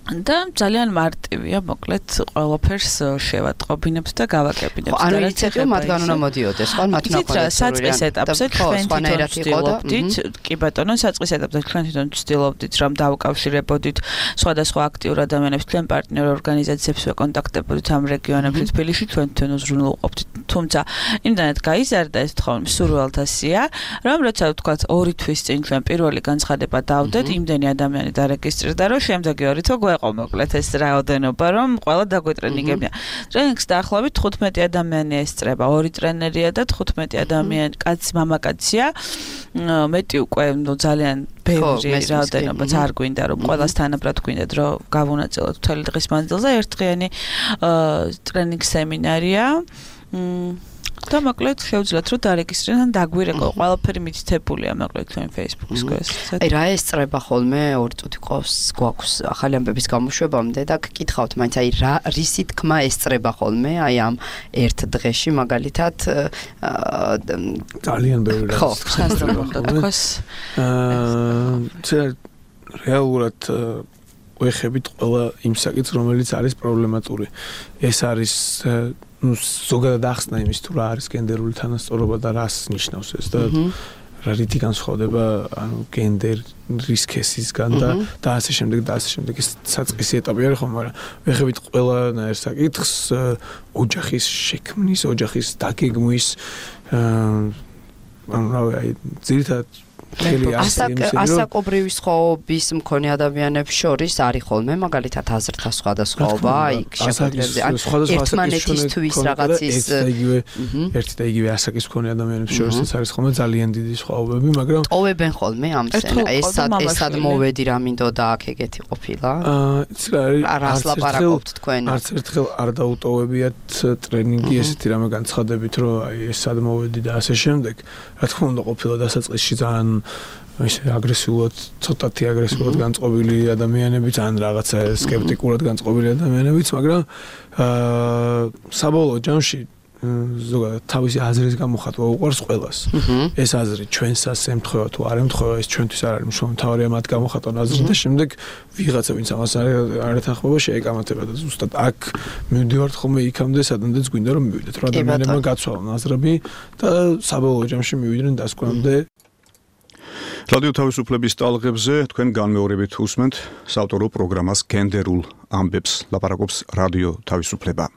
და ძალიან მარტივია, მოკლედ ყველაფერს შევატყობინებთ და გავაკებინებთ. ანუ ინიციატივა მათგან უნდა მოდიოდეს, ხო? მათ უნდა საწყის ეტაპზე ჩვენ ვცდილობდით, კი ბატონო, საწყის ეტაპზე ჩვენ თვითონ ვცდილობდით, რომ დავუკავშირებოდით სხვადასხვა აქტიურ ადამიანებს, ჩვენ პარტნიორ ორგანიზაციებს ვეკონტაქტებოდით ამ რეგიონებში, თბილისში ჩვენ თვითონ უზრუნველყოფდით. თუმცა იმდანაც გაიზარდა ეს თხოვნი სურვილთასია, რომ როცა ვთქვათ 2 თვის წინ ჩვენ პირველი განცხადება დავდეთ, იმდენი ადამიანი დარეგისტრირდა, რომ შემდეგი 2 თვე გვეყო მოკლედ ეს რაოდენობა, რომ ყველა დაგვეტრენინგებია. ტრენინგს დაახლოებით 15 ადამიანი ესწრება, 2 ტრენერია და 15 ადამიანი, კაცი, მამაკაცია. მეტი უკვე ძალიან ბევრი რაოდენობა არ გვინდა, რომ ყველას თანაბრად გვინდათ, რომ გავუნაწილოთ მთელი დღის მანძილზე ერთდღიანი ტრენინგ სემინარია. და მოკლედ შეუძლიათ რომ დარეგისტრირდნენ, დაგვირეკო, ყველაფერი მითითებულია მოკლედ ჩვენ Facebook-ის გვერდზე. აი რა ესწრება ხოლმე 2 წუთი გვაქვს ახალი ამბების გამოშვებამდე და გკითხავთ მაინც აი რა რისი თქმა ესწრება ხოლმე აი ამ ერთ დღეში მაგალითად ძალიან ბევრი რა ესწრება ხოლმე. რეალურად ვეხებით ყველა იმ საკითხს რომელიც არის პრობლემატური. ეს არის ზოგადად ახსნა იმის თუ რა არის გენდერული თანასწორობა და რას ნიშნავს ეს და რა რითი განსხვავდება ანუ გენდერის ქესისგან და ასე შემდეგ და ასე შემდეგ ეს საწყისი ეტაპი არის ხომ, მაგრამ ვეხებით ყველანაირ საკითხს ოჯახის შექმნის, ოჯახის დაგეგმვის ანუ რა ვიცი, ძირითადად ასაკობრივი სხვაობის მქონე ადამიანებს შორის არის ხოლმე მაგალითად აზრთა სხვადასხვაობა იქ შეხვედრებზე ან ერთმანეთისთვის რაღაცის ერთი და იგივე ასაკის მქონე ადამიანებს შორისაც არის ხოლმე ძალიან დიდი სხვაობები, მაგრამ ტოვებენ ხოლმე ამ ესად მოვედი რა მინდოდა აქ ეგეთი ყოფილა იცი რა არას ლაპარაკობთ თქვენ არც ერთხელ არ დაუტოვებიათ ტრენინგი ესეთი რამე განცხადებით რომ აი ესად მოვედი და ასე შემდეგ რა თქმა უნდა ყოფილა დასაწყისში ძალიან ისე აგრესიულად ცოტათი აგრესიულად განწყობილი ადამიანებიც ან რაღაცა სკეპტიკურად განწყობილი ადამიანებიც მაგრამ საბოლოო ჯამში ზოგადად თავისი აზრის გამოხატვა უყვარს ყველას. ეს აზრი ჩვენსაც ემთხვევა თუ არ ემთხვევა, ეს ჩვენთვის არ არის მნიშვნელოვანი, თავარია მათ გამოხატვა აზრი და შემდეგ ვიღაცა ვინც ამას არ ეთანხმება შეეკამათება და ზუსტად აქ მივდივართ ხოლმე იქამდე, სადამდეც გვინდა რომ მივიდეთ, რომ ადამიანებმა გაცვალონ აზრები და საბოლოო ჯამში მივიდნენ დასკვნამდე. რადიო თავისუფლების ტალღებზე თქვენ განმეორებით უსმენთ საავტორო პროგრამას გენდერულ ამბებს, ლაპარაკობს რადიო თავისუფლება.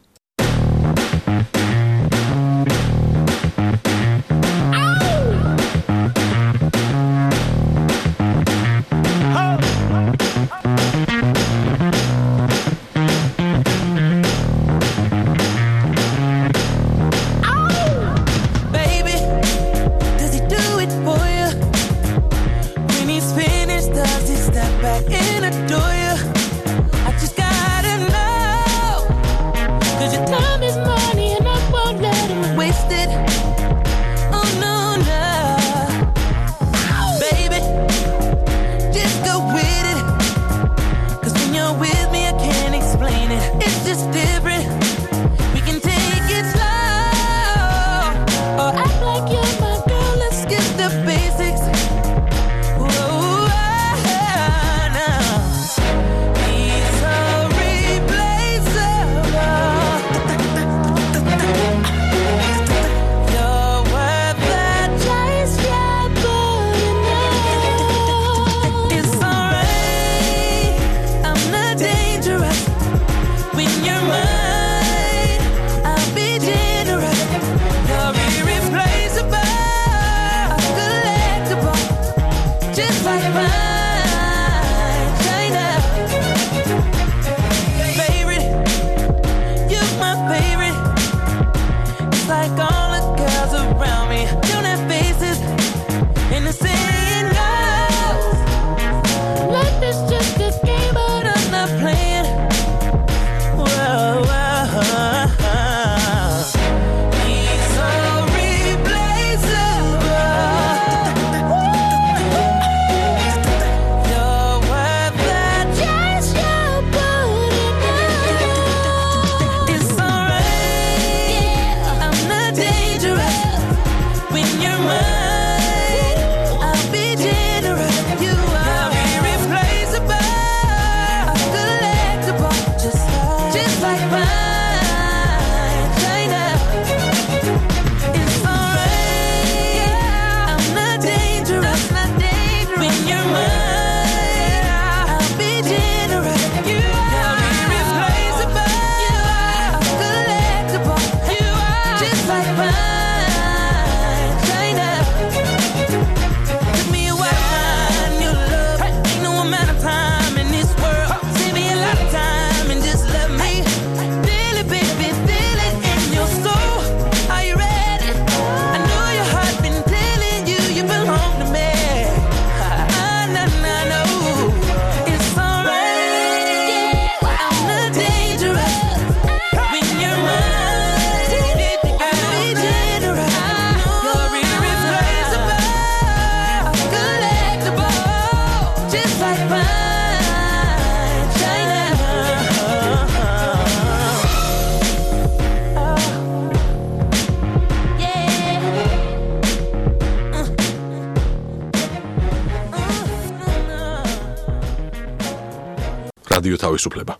რადიო თავისუფლება.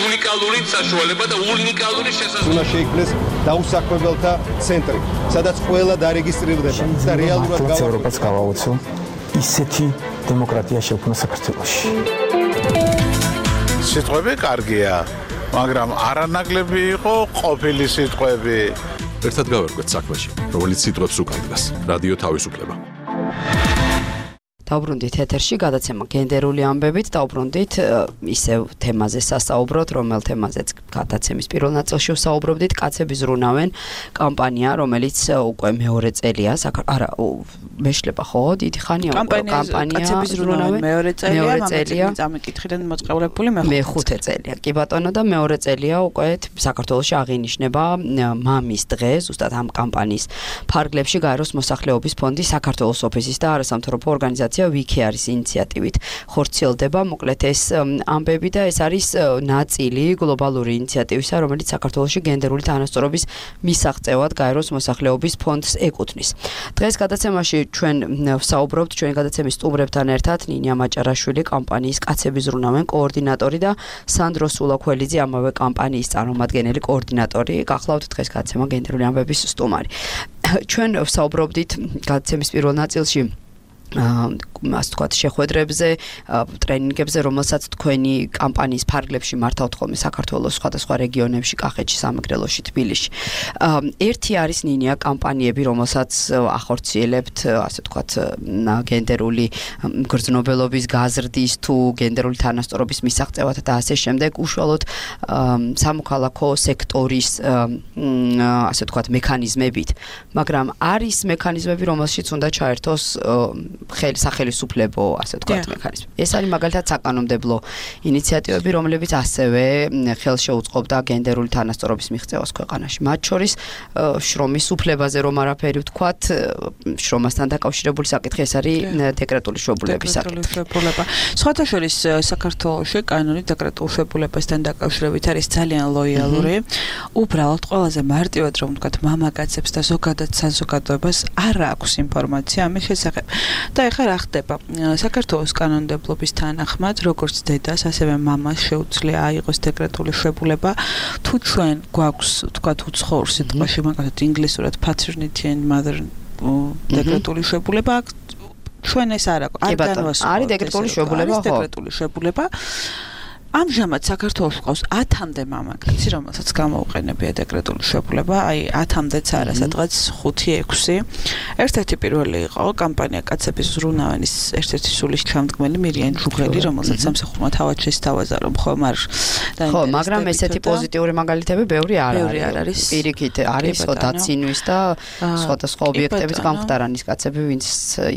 უნიკალური საშუალება და უნიკალური შესაძლებლობა. უნდა შეიქმნეს დაუსაქმებელთა ცენტრი, სადაც ყველა დარეგისტრირდება და რეალურად ევროპას გავაოცო ისეთი დემოკრატია შექმნა საქართველოში. სიტყვები კარგია, მაგრამ არანაკლები იყო ყოფილი სიტყვები. ერთად გავერკვეთ საქმეში, რომელიც სიტყვებს უკანდგას. რადიო თავისუფლება. დავბრუნდით ეთერში გადაცემა გენდერული ამბებით, დავბრუნდით ისევ თემაზე სასაუბროთ, რომელ თემაზეც გადაცემის პირველ ნაწილში ვსაუბრობდით, კაცები ზრუნავენ კამპანია, რომელიც უკვე მეორე წელია, არა, მეშლება ხო, დიდი ხანია კამპანია კაცები ზრუნავენ მეორე წელია, წამიკითხიდან მოწყევლებული მეხუთე წელია. კი ბატონო და მეორე წელია უკვე საქართველოში აღინიშნება მამის დღე, ზუსტად ამ კამპანიის ფარგლებში გაეროს მოსახლეობის ფონდი, საქართველოს ოფისის და არასამთავრობო ორგანიზაცია ვიკი არის ინიციატივით ხორციელდება, მოკლედ ეს ამბები და ეს არის ნაწილი გლობალური ინიციატივისა, რომელიც საქართველოში გენდერული თანასწორობის მისაღწევად გაეროს მოსახლეობის ფონდს ეკუთვნის. დღეს გადაცემაში ჩვენ ვსაუბრობთ ჩვენი გადაცემის სტუმრებთან ერთად ნინია მაჭარაშვილი, კამპანიის კაცები ზრუნავენ კოორდინატორი და სანდრო სულაქველიძე, ამავე კამპანიის წარმომადგენელი კოორდინატორი. გახლავთ დღეს გადაცემა გენდერული ამბების სტუმარი. ჩვენ ვსაუბრობდით გადაცემის პირველ ნაწილში ასე ვთქვათ, შეხვედრებზე, ტრენინგებზე, რომელსაც თქვენი კამპანიის ფარგლებში მართავთ ხოლმე საქართველოს სხვადასხვა რეგიონებში, კახეთში, სამეგრელოში, თბილისში. ერთი არის ნინია კამპანიები, რომელსაც ახორციელებთ, ასე ვთქვათ, გენდერული გრძნობელობის გაზრდის თუ გენდერული თანასწორობის მისაღწევად და ასე შემდეგ, უშუალოდ სამოქალაქო სექტორის ასე ვთქვათ, მექანიზმებით, მაგრამ არის მექანიზმები, რომელშიც უნდა ჩაერთოს სახელმწიფო, ასე ვთქვათ, მექანიზმი. ეს არის მაგალითად საკანონმდებლო ინიციატივები, რომლებიც ასევე ხელშეუწყობდა გენდერული თანასწორობის მიღწევას ქვეყანაში. მათ შორის შრომის უფლებაზე რომ არაფერი ვთქვათ, შრომასთან დაკავშირებული საკითხი ეს არის დეკრეტული შვებულების საკითხი. სხვათა შორის საქართველოში კანონი დეკრეტულ შვებულებასთან დაკავშირებით არის ძალიან ლოიალური. უბრალოდ ყველაზე მარტივად რომ ვთქვათ, მამაკაცებს და ზოგადად საზოგადოებას არ აქვს ინფორმაცია ამის შესახებ. და ეხლა რა ხდება? საქართველოს კანონმდებლობის თანახმად, როგორც დედას, ასევე მამას შეუძლია აიღოს დეკრეტული შვებულება, თუ ჩვენ გვაქვს, ვთქვათ, უცხოურ სიტყვაში, მაგალითად ინგლისურად paternity and mother დეკრეტული შვებულება, ჩვენ ეს არ აქვს. არის დეკრეტული შვებულება, ხო? დეკრეტული შვებულება. ამჟამად საქართველოს ყავს 10-მდე მამაკაცი, რომელსაც გამოუყენებია დეკრეტული შვებულება, აი 10-მდეც არა, სადღაც 5-6. ერთ-ერთი პირველი იყო კამპანია კაცების ზრუნავენის ერთ-ერთი სულის ჩამდგმელი მირიან ჯუღელი, რომელსაც სამსახურმა თავად შესთავაზა, რომ ხომ არ ხო, მაგრამ ესეთი პოზიტიური მაგალითები ბევრი არ არის. პირიქით არის დაცინვის და სხვადასხვა ობიექტების გამხდარანის კაცები, ვინც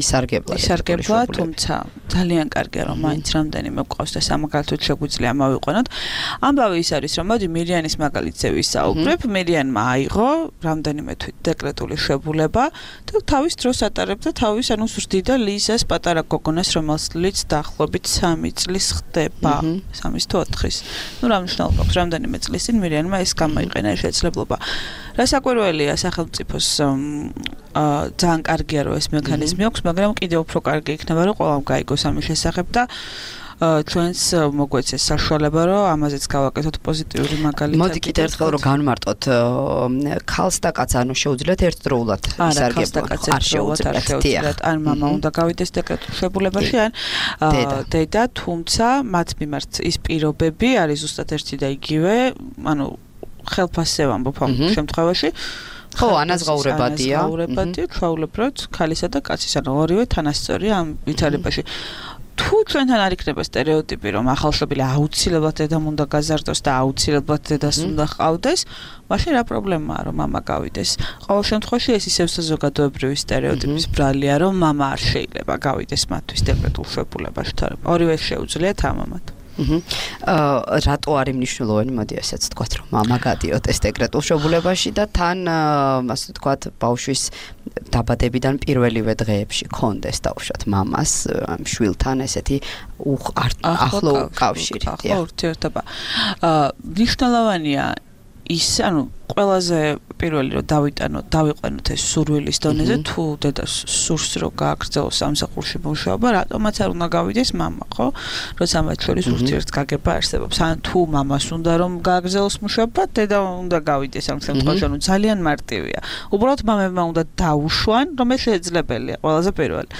ისარგებლა, თუმცა ძალიან კარგია, რომ მაინც რამდენიმე გვყავს და სამაგალითოდ შეგვიძლია მოვიყვანოთ. ამბავი ის არის, რომ მოდი მირიანის მაგალითზე ვისაუბრებ. მირიანმა აიღო რამდენიმე თვით დეკრეტული შვებულება და თავის დროს ატარებდა თავის ანუ ზრდიდა ლიზას პატარა გოგონას, რომელსაც დაახლოებით 3 წლის ხდება. 3 თუ 4-ის. ნუ რა მნიშვნელობა აქვს, რამდენიმე წლის წინ მირიანმა ეს გამოიყენა შესაძლებლობა. რასაკვირველია სახელმწიფოს ძალიან კარგია რომ ეს მექანიზმი აქვს, მაგრამ კიდევ უფრო კარგი იქნება რომ ყველამ გაიგოს ამის შესახებ და ჩვენს მოგვეცეს საშუალება რომ ამაზეც გავაკეთოთ პოზიტიური მაგალითები. მოდი კიდევ ერთხელ რომ განვმარტოთ ქალს და კაცს, ანუ შეუძლიათ ერთდროულად ისარგებლონ. არ შეუძლიათ. ან მამა უნდა გავიდეს დეკრეტულ შვებულებაში, ან დედა, თუმცა მათ მიმართ ის პირობები არის ზუსტად ერთი და იგივე, ანუ ხელფასზე ვამბობ ამ შემთხვევაში. ხო, ანაზღაურებადია. ჩვეულებრივად ქალისა და კაცის, ანუ ორივე თანასწორია ამ ვითარებაში. თუ ჩვენთან არ იქნება სტერეოტიპი, რომ ახალშობილი აუცილებლად დედამ უნდა გაზარდოს და აუცილებლად დედას უნდა ჰყავდეს, მაშინ რა პრობლემაა, რომ მამა გავიდეს? ყოველ შემთხვევაში ეს ისევ საზოგადოებრივი სტერეოტიპის ბრალია, რომ მამა არ შეიძლება გავიდეს მათთვის დეკრეტულ შვებულებაში, თორემ ორივე შეუძლიათ ამამად. რატო არის მნიშვნელოვანი, მოდი ასეც ვთქვათ, რომ მამა გადიოთ ეს დეკრეტულ შვებულებაში და თან ასე ვთქვათ, ბავშვის დაბადებიდან პირველივე დღეებში კონდეს დაუშვათ მამას შვილთან ესეთი ახლო კავშირი. ახლო ურთიერთობა. მნიშვნელოვანია ის, ანუ ყველაზე პირველი რომ დავიყვანოთ ეს სურვილის დონეზე, თუ დედას სურს რომ გააგრძელოს სამსახურში მუშაობა, რატომაც არ უნდა გავიდეს მამა, ხო? როცა მათ შორის ურთიერთგაგება არსებობს. ან თუ მამას უნდა რომ გააგრძელოს მუშაობა, დედა უნდა გავიდეს ამ შემთხვევაში, ანუ ძალიან მარტივია. უბრალოდ მამებმა უნდა დაუშვან, რომ ეს შეძლებელია, ყველაზე პირველი.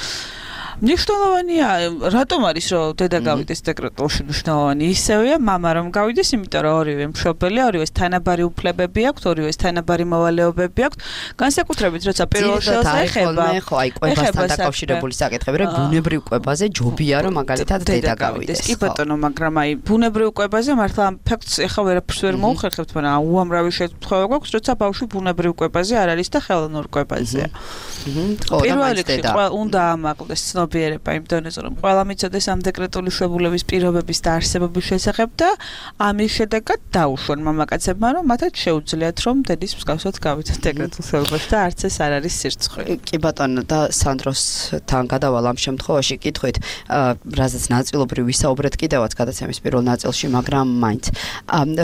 მნიშვნელოვანია, რატომ არის რომ დედა გავიდეს დეკრეტულში მნიშვნელოვანი ისევია, მამა რომ გავიდეს, იმიტომ რომ ორივე მშობელი, ორივეს თანაბარი უფლებები აქვთ, ორივეს თანაბარი მოვალეობები აქვთ. განსაკუთრებით როცა პირველ შელს ეხება, ხო, აი კვებასთან დაკავშირებული საკითხები, რომ ბუნებრივ კვებაზე ჯობია რომ მაგალითად დედა გავიდეს. კი ბატონო, მაგრამ აი ბუნებრივ კვებაზე მართლა ამ ფაქტს ეხა ვერაფერს ვერ მოუხერხებთ, მაგრამ უამრავი შემთხვევა გვაქვს, როცა ბავშვი ბუნებრივ კვებაზე არ არის და ხელოვნურ კვებაზეა. პირველ რიგში უნდა ამაყდეს ცნობიერება იმ დონეზე, რომ ყველა მიცოდეს ამ დეკრეტული შებულების პირობების და არსებობის შესახებ და ამის შედეგად დაუშვან მამაკაცებმა, რომ მათაც შეუძლიათ რომ დედის მსგავსად გავიდნენ დეკრეტულ შებულებში და არც ეს არ არის სირცხვი. კი ბატონო და სანდროსთან გადავალ ამ შემთხვევაში კითხვით, რაზეც ნაწილობრივ ვისაუბრეთ კიდევაც გადაცემის პირველ ნაწილში, მაგრამ მაინც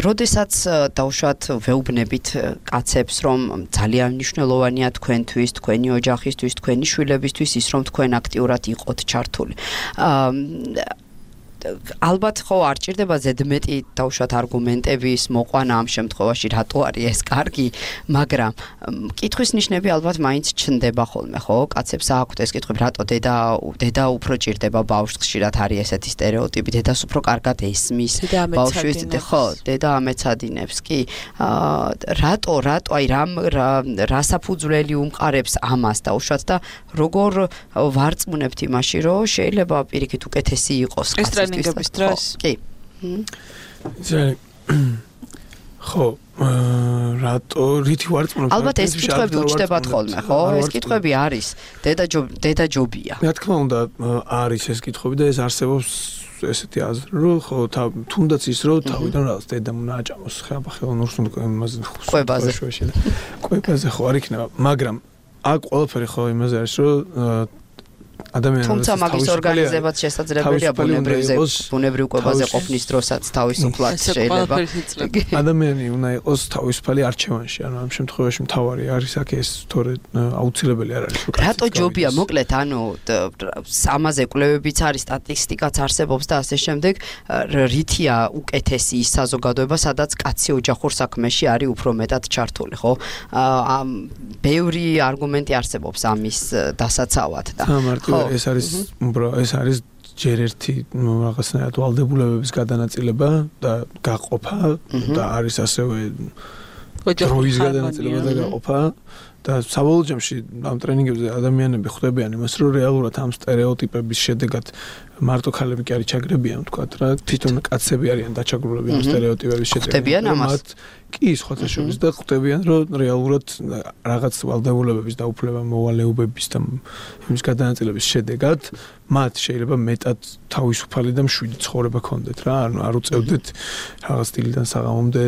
როდესაც დაუშვათ ვეუბნებით კაცებს, რომ ძალიან მნიშვნელოვანია თქვენთვის, თქვენი ოჯახისთვის, თქვენი შვილებისთვის ის, რომ თქვენ აქტიურად იყოთ ჩართული. ალბათ ხო არ ჭირდება ზედმეტი დაუშვათ არგუმენტების მოყვანა ამ შემთხვევაში, რატო არის ეს კარგი, მაგრამ კითხვის ნიშნები ალბათ მაინც ჩნდება ხოლმე, ხო? კაცებს აქვთ ეს კითხვები, რატო დედა უფრო ჭირდება ბავშვს, ხშირად არის ესეთი სტერეოტიპი, დედას უფრო კარგად ესმის, ბავშვის ხო, დედა ამეცადინებს, კი. რატო, აი რა საფუძვლელი უმყარებს ამას დაუშვათ და როგორ ვარწმუნებთ იმაში, რომ შეიძლება პირიქით უკეთესი იყოს კაცის ტრენინგების დროს. კი. ხო, რატო რითი ვარწმუნებთ? ალბათ ეს კითხვები უჩნდებათ ხოლმე, ხო? ეს კითხვები არის. დედა ჯობია. რა თქმა უნდა, არის ეს კითხვები და ეს არსებობს ესეთი აზრი, რომ ხო, თუნდაც ის რომ თავიდან რაღაც დედამ უნდა აჭამოს ხელოვნურს იმაზე კვებაზე ხო არ იქნება, მაგრამ აქ ყველაფერი ხო იმაზე არის, რომ ადამიანს თუმცა მაგის ორგანიზებაც შესაძლებელია ბუნებრივ კვებაზე ყოფნის დროსაც თავისუფლად შეიძლება. ადამიანი უნდა იყოს თავისუფალი არჩევანში, ანუ ამ შემთხვევაში მთავარი არის აქ ეს თორე აუცილებელი არ არის. რატო ჯობია, მოკლედ, ანუ ამაზე კვლევებიც არის, სტატისტიკაც არსებობს და ასე შემდეგ, რითია უკეთესი ის საზოგადოება, სადაც კაცი ოჯახურ საქმეში არის უფრო მეტად ჩართული, ხო? ბევრი არგუმენტი არსებობს ამის დასაცავად და ეს არის ჯერ ერთი რაღაცნაირად ვალდებულებების გადანაწილება და გაყოფა და არის ასევე დროის გადანაწილება და გაყოფა და საბოლოო ჯამში ამ ტრენინგებზე ადამიანები ხვდებიან იმას, რომ რეალურად ამ სტერეოტიპების შედეგად მარტო ქალები კი არის ჩაგრებიან, თქვათ რა, თვითონ კაცები არიან დაჩაგრულები ამ სტერეოტიპების შედეგად. ხვდებიან ამას? კი, სხვათა შორის და ხვდებიან, რომ რეალურად რაღაც ვალდებულებების დაუფლება მოვალეობების და იმის გადანაწილების შედეგად მათ შეიძლება მეტად თავისუფალი და მშვიდი ცხოვრება ქონდეთ რა, ანუ არ უწევდეთ რაღაც სტილიდან საღამომდე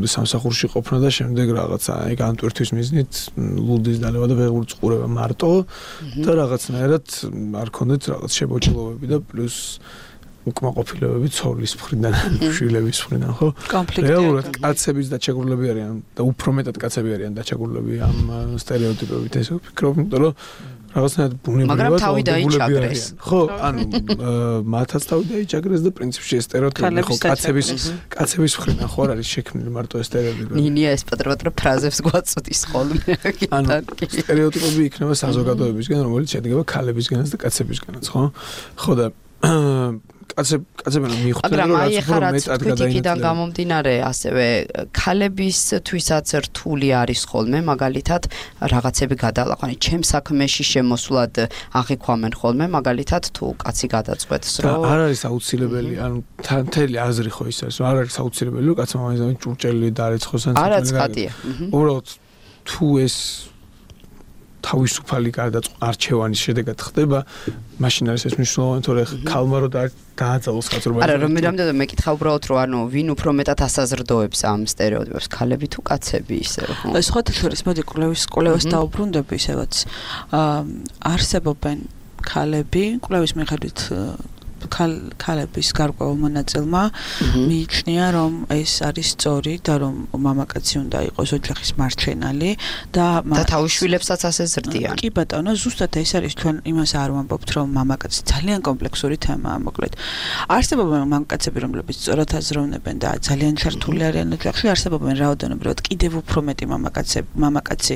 სამსახურში ყოფნა და შემდეგ რაღაცა აი განტვირთვის მიზნით ლუდის დალევა და ვეღარ წყურება მარტო და რაღაცნაირად არ ქონდეთ რაღაც შებოჭილობები და პლუს უკმაყოფილებები ცოლის მხრიდან, შვილების მხრიდან, ხო? რეალურად კაცების დაჩაგრულები არიან და უფრო მეტად კაცები არიან დაჩაგრულები ამ სტერეოტიპებით, ესე ვფიქრობ, იმიტომ რომ რაღაცნაირად ბუნებრივად თავი დაიჭაგრეს. ხო, ანუ მათაც თავი დაიჭაგრეს და პრინციპში ეს სტერეოტიპი ხო კაცების მხრიდან ხო არ არის შექმნილი მარტო ეს სტერეოტიპი. ნინია ეს პატროტრა ფრაზებს გვაწოდის ხოლმე. ანუ სტერეოტიპები იქნება საზოგადოებისგან, რომელიც შედგება ქალებისგანაც და კაცებისგანაც, ხო? ხო და კაცები მიხვდნენ რომ რაც უფრო მეტად გადაინაცვლება. გამომდინარე ასევე ქალებისთვისაც რთული არის ხოლმე მაგალითად რაღაცები გადალაყვანი. ჩემ საქმეში შემოსვლად აღიქვამენ ხოლმე მაგალითად თუ კაცი გადაწყვეტს რომ არ არის აუცილებელი, ანუ მთელი აზრი ხო ის არის, რომ არ არის აუცილებელი რომ კაცმა მაინც ჭურჭელი დაარეცხოს ან არა ცხადია. უბრალოდ თუ ეს თავისუფალი არჩევანის შედეგად ხდება, მაშინ არის ეს მნიშვნელოვანი, თორე ქალმა რო დააძალოს ხაზრობა. არა, რომ რამდენად მეკითხა უბრალოდ რომ ანუ ვინ უფრო მეტად ასაზრდოებს ამ სტერეოტიპებს, ქალები თუ კაცები ისე რომ. სხვათა შორის მოდი კვლევას დაუბრუნდები ისევაც. არსებობენ ქალები, კვლევის მიხედვით ქალების გარკვეულ მონაწილმა მიიჩნია, რომ ეს არის სწორი და რომ მამაკაცი უნდა იყოს ოჯახის მარჩენალი და თავის შვილებსაც ასე ზრდიან. კი ბატონო, ზუსტად ეს არის ჩვენ იმას არ ვამბობთ, რომ მამაკაცი ძალიან კომპლექსური თემაა, მოკლედ. არსებობენ მამაკაცები, რომლებიც სწორად აზროვნებენ და ძალიან ჩართული არიან ოჯახში, არსებობენ რაოდენობრივად კიდევ უფრო მეტი მამაკაცი,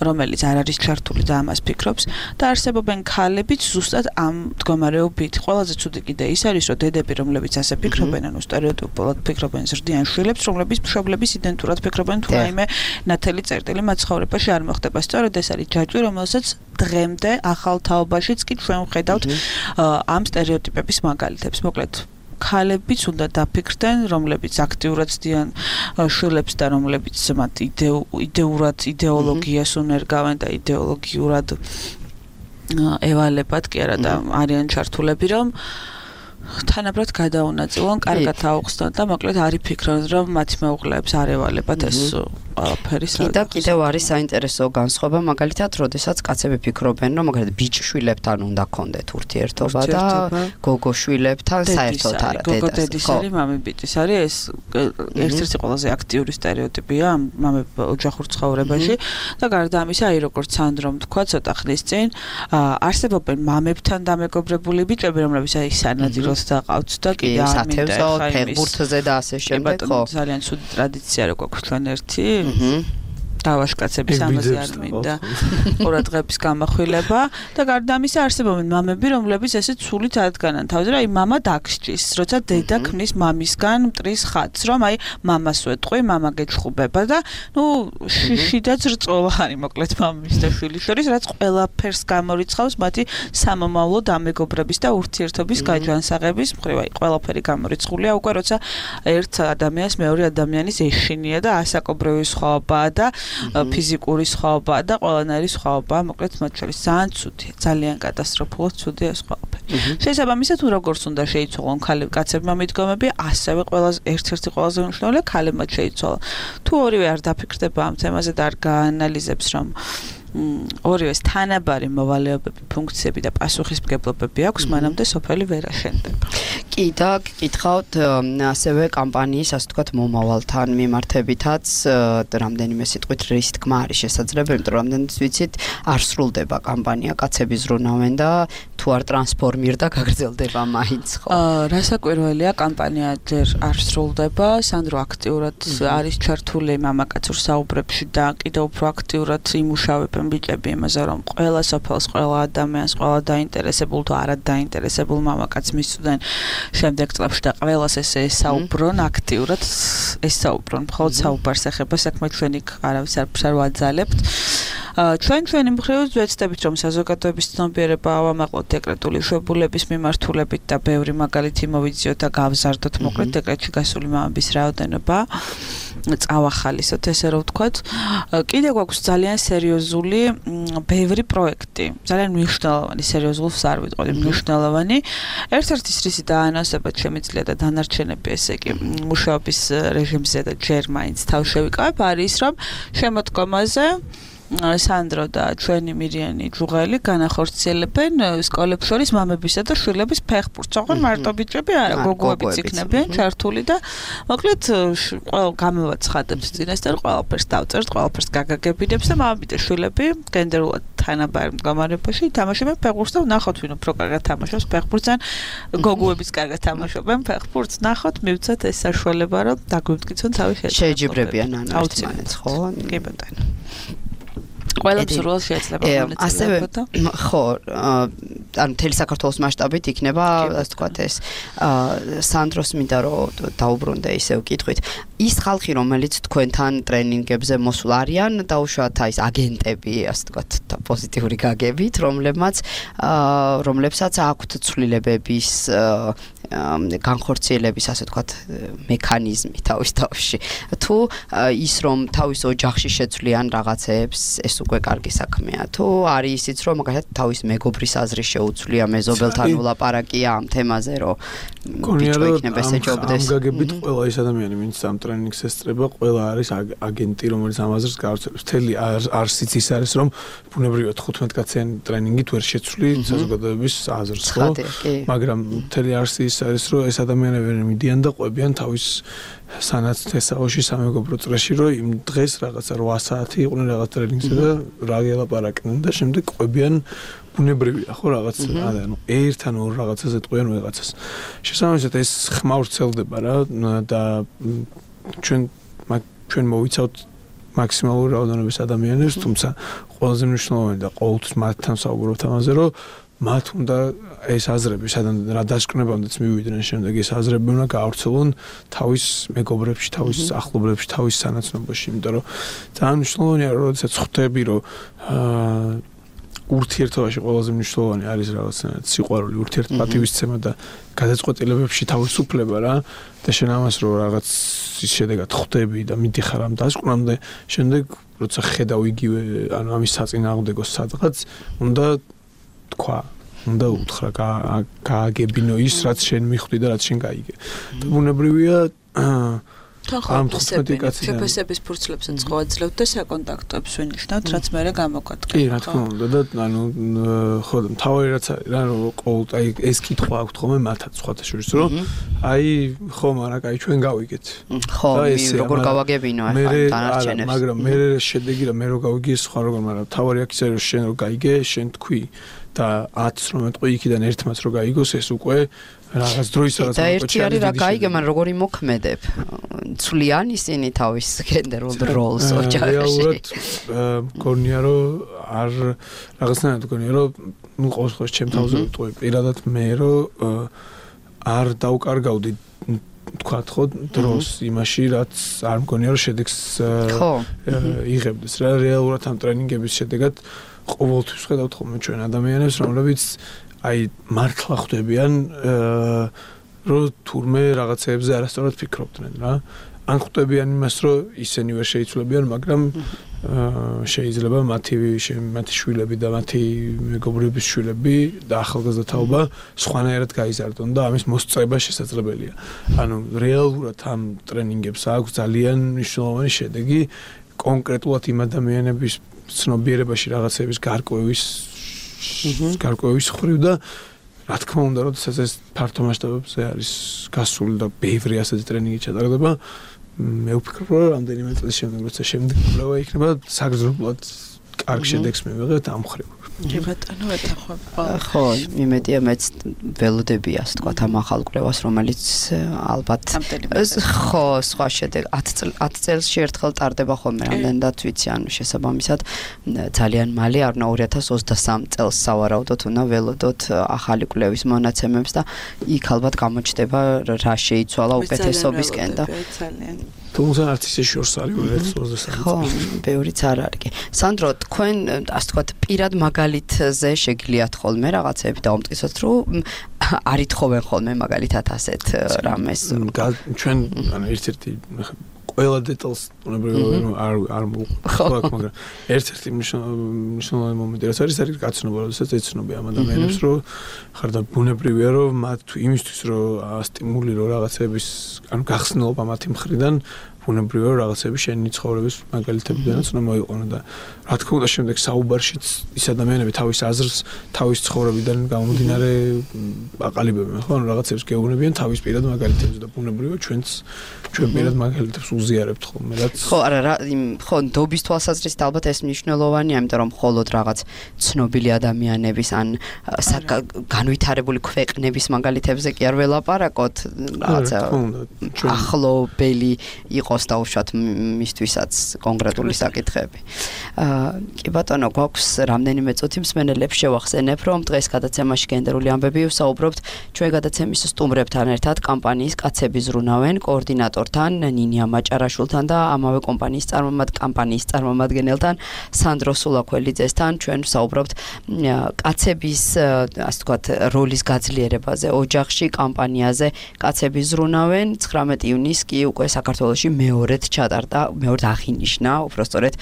რომელიც არ არის ჩართული და ამას ფიქრობს და არსებობენ ქალებიც ზუსტად ამ მდგომარეობით. ყველაზე ცუდი კიდე ის არის, რომ დედები, რომლებიც ასე ფიქრობენ, ანუ სტერეოტიპულად ფიქრობენ, ზრდიან შვილებს, რომლებიც მშობლების იდენტურად ფიქრობენ, თუ რაიმე ნათელი წერტილი მათ ცხოვრებაში არ მოხდება. სწორედ ეს არის ჯაჭვი, რომელსაც დღემდე ახალ თაობაშიც კი ჩვენ ვხედავთ ამ სტერეოტიპების მაგალითებს. მოკლედ ქალებიც უნდა დაფიქრდნენ, რომლებიც აქტიურად ცდიან შვილებს და რომლებიც მათ იდეოლოგიას უნერგავენ და იდეოლოგიურად ევალებად კი არა და არიან ჩართულები, რომ თანაბრად გადაუნაწილონ, კარგად აუხსნან და მოკლედ არ იფიქრონ, რომ მათი მეუღლეებს არ ევალებათ ეს ყველაფერი. კიდევ არის საინტერესო განსხვავება, მაგალითად, როდესაც კაცები ფიქრობენ, რომ მაგალითად ბიჭშვილებთან უნდა ქონდეთ ურთიერთობა და გოგოშვილებთან საერთოდ არა დედას. გოგო დედის არის, მამი ბიჭის არის, ეს ერთ-ერთი ყველაზე აქტიური სტერეოტიპია ოჯახურ ცხოვრებაში და გარდა ამისა, აი როგორც სანდრომ თქვა ცოტა ხნის წინ, არსებობენ მამებთან დამეგობრებული ბიჭები, რომლებიც აი სანადიროს დაყავთ და კიდე არ მინდა ფეხბურთზე და ასე შემდეგ, ხო? ძალიან ცუდი ტრადიცია რო გვაქვს ჩვენ ერთი დავაშკაცების ამაზე არ მინდა ყურადღების გამახვილება და გარდა ამისა არსებობენ მამები, რომლებიც ესე ცულით ადგანან თავზე, რომ აი მამა დაგსჭის, როცა დედა ქმნის მამისგან მტრის ხატს, რომ აი მამას ვეტყვი, მამა გეჩხუბება და ნუ შიშიდაც რწოლა არის მოკლედ მამის და შვილის შორის, რაც ყველაფერს გამორიცხავს მათი სამომავლო დამეგობრების და ურთიერთობის გაჯანსაღების მხრივ, აი ყველაფერი გამორიცხულია უკვე როცა ერთ ადამიანს მეორე ადამიანის ეშინია და ასაკობრივი სხვაობაა და ფიზიკური სხვაობაა და ყველანაირი სხვაობაა, მოკლედ მათ შორის ძალიან ცუდია, ძალიან კატასტროფულად ცუდია ეს ყველაფერი. შესაბამისად, თუ როგორც უნდა შეიცვალონ კაცებმა მიდგომები, ასევე ერთ-ერთი ყველაზე მნიშვნელოვანია ქალებმა შეიცვალონ. თუ ორივე არ დაფიქრდება ამ თემაზე და არ გაანალიზებს, რომ ორივეს თანაბარი მოვალეობები, ფუნქციები და პასუხისმგებლობები აქვს, მანამდე სოფელი ვერ აშენდება. კი და გითხავთ ასევე კამპანიის, ასე ვთქვათ, მომავალთან მიმართებითაც რამდენიმე სიტყვით რის თქმა არის შესაძლებელი, იმიტომ რომ რამდენიც ვიცით, არ სრულდება კამპანია, კაცები ზრუნავენ და თუ არ ტრანსფორმირდა გაგრძელდება მაინც, ხო? რასაკვირველია, კამპანია ჯერ არ სრულდება, სანდრო აქტიურად არის ჩართული მამაკაცურ საუბრებში და კიდევ უფრო აქტიურად იმუშავებენ ბიჭები იმაზე, რომ ყველა სოფელს, ყველა ადამიანს, ყველა დაინტერესებულ თუ არა დაინტერესებულ მამაკაცს მისცდნენ შემდეგ წლებში და ყველას ესე ესაუბრონ აქტიურად, ესაუბრონ, მხოლოდ საუბარს ეხება საქმე, ჩვენ იქ არავის არ ვაძალებთ. ჩვენი მხრივ ვეცდებით, რომ საზოგადოების ცნობიერება ავამაყლოთ დეკრეტული შვებულების მიმართულებით და ბევრი მაგალითი მოვიძიოთ და გავზარდოთ, მოკლედ დეკრეტში გასული მამების რაოდენობა წავახალისოთ, ესე რომ ვთქვათ. კიდევ გვაქვს ძალიან სერიოზული ბევრი პროექტი, ძალიან მნიშვნელოვანი, სერიოზულს არ ვიტყოდი, მნიშვნელოვანი. ერთ-ერთი რისი დაანონსებად შემიძლია და დანარჩენები, ესე იგი, მუშაობის რეჟიმზე და ჯერ მაინც თავ შევიკავებ, არის რომ შემოდგომაზე სანდრო და ჩვენი მირიანი ჯუღელი განახორციელებენ სკოლებს შორის მამებისა და შვილების ფეხბურთს. ოღონდ მარტო ბიჭები არა, გოგოებიც იქნებიან ჩართული და მოკლედ ყველა გამოვაცხადებთ წინასწარ, ყველაფერს დავწერთ, ყველაფერს გაგაგებინებს და მამები და შვილები გენდერულად თანაბარ მდგომარეობაში თამაშობენ ფეხბურთს და ნახოთ ვინ უფრო კარგად თამაშობს ფეხბურთს ან გოგოებიც კარგად თამაშობენ ფეხბურთს. ნახოთ, მივცეთ ეს საშუალება, რომ დაგვიმტკიცონ თავი შეეჯიბრებიან ანალიზმანიც, ხო? კი ბატონო. ყველა მსურველს შეიძლება ასევე ხო, ანუ მთელი საქართველოს მასშტაბით იქნება, ასე ვთქვათ, ეს სანდროს მინდა რომ დაუბრუნდე ისევ კითხვით. ის ხალხი, რომელიც თქვენთან ტრენინგებზე მოსულ არიან, დაუშვათ აი ეს აგენტები, ასე ვთქვათ, პოზიტიური გაგებით, რომლებსაც აქვთ ცვლილებების განხორციელების ასე ვთქვათ მექანიზმი თავში. თუ ის რომ თავის ოჯახში შეცვლიან რაღაცეებს, ეს უკვე კარგი საქმეა. თუ არის ისიც რომ მაგალითად თავის მეგობრის აზრი შეუცვლია მეზობელთან ვლაპარაკია ამ თემაზე, რომ ბიჭო იქნება ესეჯობდეს. ამ გაგებით ყველა ის ადამიანი, ვინც ამ ტრენინგს ესწრება, ყველა არის აგენტი, რომელიც ამ აზრს გავრცელებს. მთელი არსიც ის არის, რომ ბუნებრივად 15 კაციანი ტრენინგით ვერ შეცვლი საზოგადოების აზრს, ხო? მაგრამ მთელი არსი ის არის, რომ ეს ადამიანები მიდიან და ყვებიან თავის სანაცვლოში სამეგობრო წრეში, რომ იმ დღეს რაღაცა 8 საათი იყვნენ რაღაც ტრენინგზე და რა გელაპარაკდნენ და შემდეგ ყვებიან ბუნებრივია, ხო, რაღაც ანუ ერთ ან ორ რაღაცაზე ტყვიან ვიღაცას. შესაბამისად ეს ხმაურცელდება რა და ჩვენ მოვიცავთ მაქსიმალური რაოდენობის ადამიანებს, თუმცა ყველაზე მნიშვნელოვანი და ყოველთვის მათთან საუბრობთ ამაზე, რომ მათ უნდა ეს აზრები სადან რა დასკვნებამდეც მივიდნენ, შემდეგ ეს აზრები უნდა გაავრცელონ თავის მეგობრებში, თავის ახლობლებში, თავის სანაცნობოში, იმიტომ რომ ძალიან მნიშვნელოვანია, როდესაც ხვდები, რომ ურთიერთობაში ყველაზე მნიშვნელოვანი არის რაღაცნაირად სიყვარული, ურთიერთპატივისცემა და გადაწყვეტილებებში თავისუფლება რა და შენ ამას რომ რაღაც ის შედეგად ხვდები და მიდიხარ ამ დასკვნამდე, შემდეგ როცა ხედავ იგივე ანუ ამის საწინააღმდეგოს სადღაც უნდა თქვა, უნდა უთხრა გააგებინო ის რაც შენ მიხვდი და რაც შენ გაიგე. და ბუნებრივია ამ 15 კაციდან ფესების ფურცლებსაც ხოვაძლევთ და საკონტაქტოებს ვინიშნავთ, რაც მე გამოგვადგა. კი, რა თქმა უნდა და ანუ ხო და თავი რაც არის რა რომ ყოველ აი ეს კითხვა აქვს ხოლმე მათაც სხვათა შორის რომ აი ხო მაგრამ აი ჩვენ გავიგეთ. ხო, როგორ გავაგებინო ახლა დანარჩენებს. მაგრამ მე შედეგი რა მე რო გავიგე სხვა როგორ მაგრამ თავი აქ ისე რომ შენ რო გაიგე, შენ თქვი და 10-ს რომ ეტყვი იქიდან ერთმაც რო გაიგოს ეს უკვე რაღაც დროის რაღაც და ერთი არის რა გაიგე, მაგრამ როგორი მოქმედებ. ცვლიან ისინი თავის გენდერულ როლს ოჯახში. რეალურად გონია რომ არ რაღაცნაირად გონია რომ ნუ ყოველ შემთხვევაში ჩემ თავზე ვიტყვი პირადად მე რომ არ დავკარგავდი თქვათ ხო დროს იმაში რაც არ მგონია რომ შედეგს იღებდეს რა რეალურად ამ ტრენინგების შედეგად ყოველთვის ხედავთ ხოლმე ჩვენ ადამიანებს რომლებიც აი მართლა ხვდებიან რომ თურმე რაღაცეებზე არასწორად ფიქრობდნენ რა ან ხვდებიან იმას რომ ისინი ვერ შეიცვლებიან მაგრამ შეიძლება მათი შვილები და მათი მეგობრების შვილები და ახალგაზრდა თაობა სხვანაირად გაიზარდონ და ამის მოსწრება შესაძლებელია ანუ რეალურად ამ ტრენინგებს აქვს ძალიან მნიშვნელოვანი შედეგი კონკრეტულად იმ ადამიანების ცნობიერებაში რაღაცების გარკვევის ხრივ და რა თქმა უნდა, როდესაც ეს ფართო მასშტაბებზე არის გასული და ბევრი ასეთი ტრენინგი ჩატარდება, მე ვფიქრობ, რომ რამდენიმე წლის შემდეგ, როცა შემდეგ კვლევა იქნება, საგრძნობლად კარგ შედეგს მივიღებთ ამ ხრივ. კი ბატონო, ეთახვა. ხო, იმედია მეც ველოდები ასე თქვა ამ ახალ კვლევას, რომელიც ალბათ ხო, სხვა შედეგ 10 წელში ერთხელ ტარდება ხოლმე, რამდენადაც ვიცი, ანუ შესაბამისად ძალიან მალე, არნა 2023 წელს სავარაუდოდ უნდა ველოდოთ ახალი კვლევის მონაცემებს და იქ ალბათ გამოჩნდება რა შეიცვალა უკეთესობისკენ და თუმცა არც ისე შორს არის 2023 ხო, ბევრიც არ არის კი. სანდრო, თქვენ ასე თქვა პირად მაგალითზე შეგიძლიათ ხოლმე რაღაცები დაუმტკიცოთ, რომ არითხოვენ ხოლმე მაგალითად ასეთ რამეს. ჩვენ ანუ ერთ-ერთი ყველა დეტალს უნებრივია არ მოვყვათ, მაგრამ ერთ-ერთი მნიშვნელოვანი მომენტი რაც არის გაცნობა, როდესაც ეცნობი ამ ადამიანებს, რომ ხარ და ბუნებრივია, რომ მათ იმისთვის, რომ სტიმული რომ რაღაცების ანუ გახსნილობა მათი მხრიდან ბუნებრივია რომ რაღაცები შენი ცხოვრების მაგალითებიდანაც უნდა მოიყვანო და რა თქმა უნდა შემდეგ საუბარშიც ის ადამიანები თავის აზრს თავის ცხოვრებიდან გამომდინარე აყალიბებენ ხო ანუ რაღაცებს გეუბნებიან თავის პირად მაგალითებზე და ბუნებრივია ჩვენ პირად მაგალითებს უზიარებთ ხოლმე რაც ხო არა რა ხო ნდობის თვალსაზრისით ალბათ ეს მნიშვნელოვანია იმიტომ რომ მხოლოდ რაღაც ცნობილი ადამიანების ან განვითარებული ქვეყნების მაგალითებზე კი არ ველაპარაკოთ რაღაცა ახლობელი იყო იყოს დაუშვათ მისთვისაც კონკრეტული საკითხები. კი ბატონო, გვაქვს რამდენიმე წუთი მსმენელებს შევახსენებ, რომ დღეს გადაცემაში გენდერული ამბები ვსაუბრობთ ჩვენ გადაცემის სტუმრებთან ერთად კამპანიის კაცები ზრუნავენ კოორდინატორთან ნინია მაჭარაშვილთან და ამავე კამპანიის წარმომადგენელთან სანდრო სულაქველიძესთან ჩვენ ვსაუბრობთ კაცების ასე ვთქვათ როლის გაძლიერებაზე ოჯახში კამპანიაზე კაცები ზრუნავენ 19 ივნისს კი უკვე საქართველოში მეორედ ჩატარდა მეორედ აღინიშნა უბრალოდ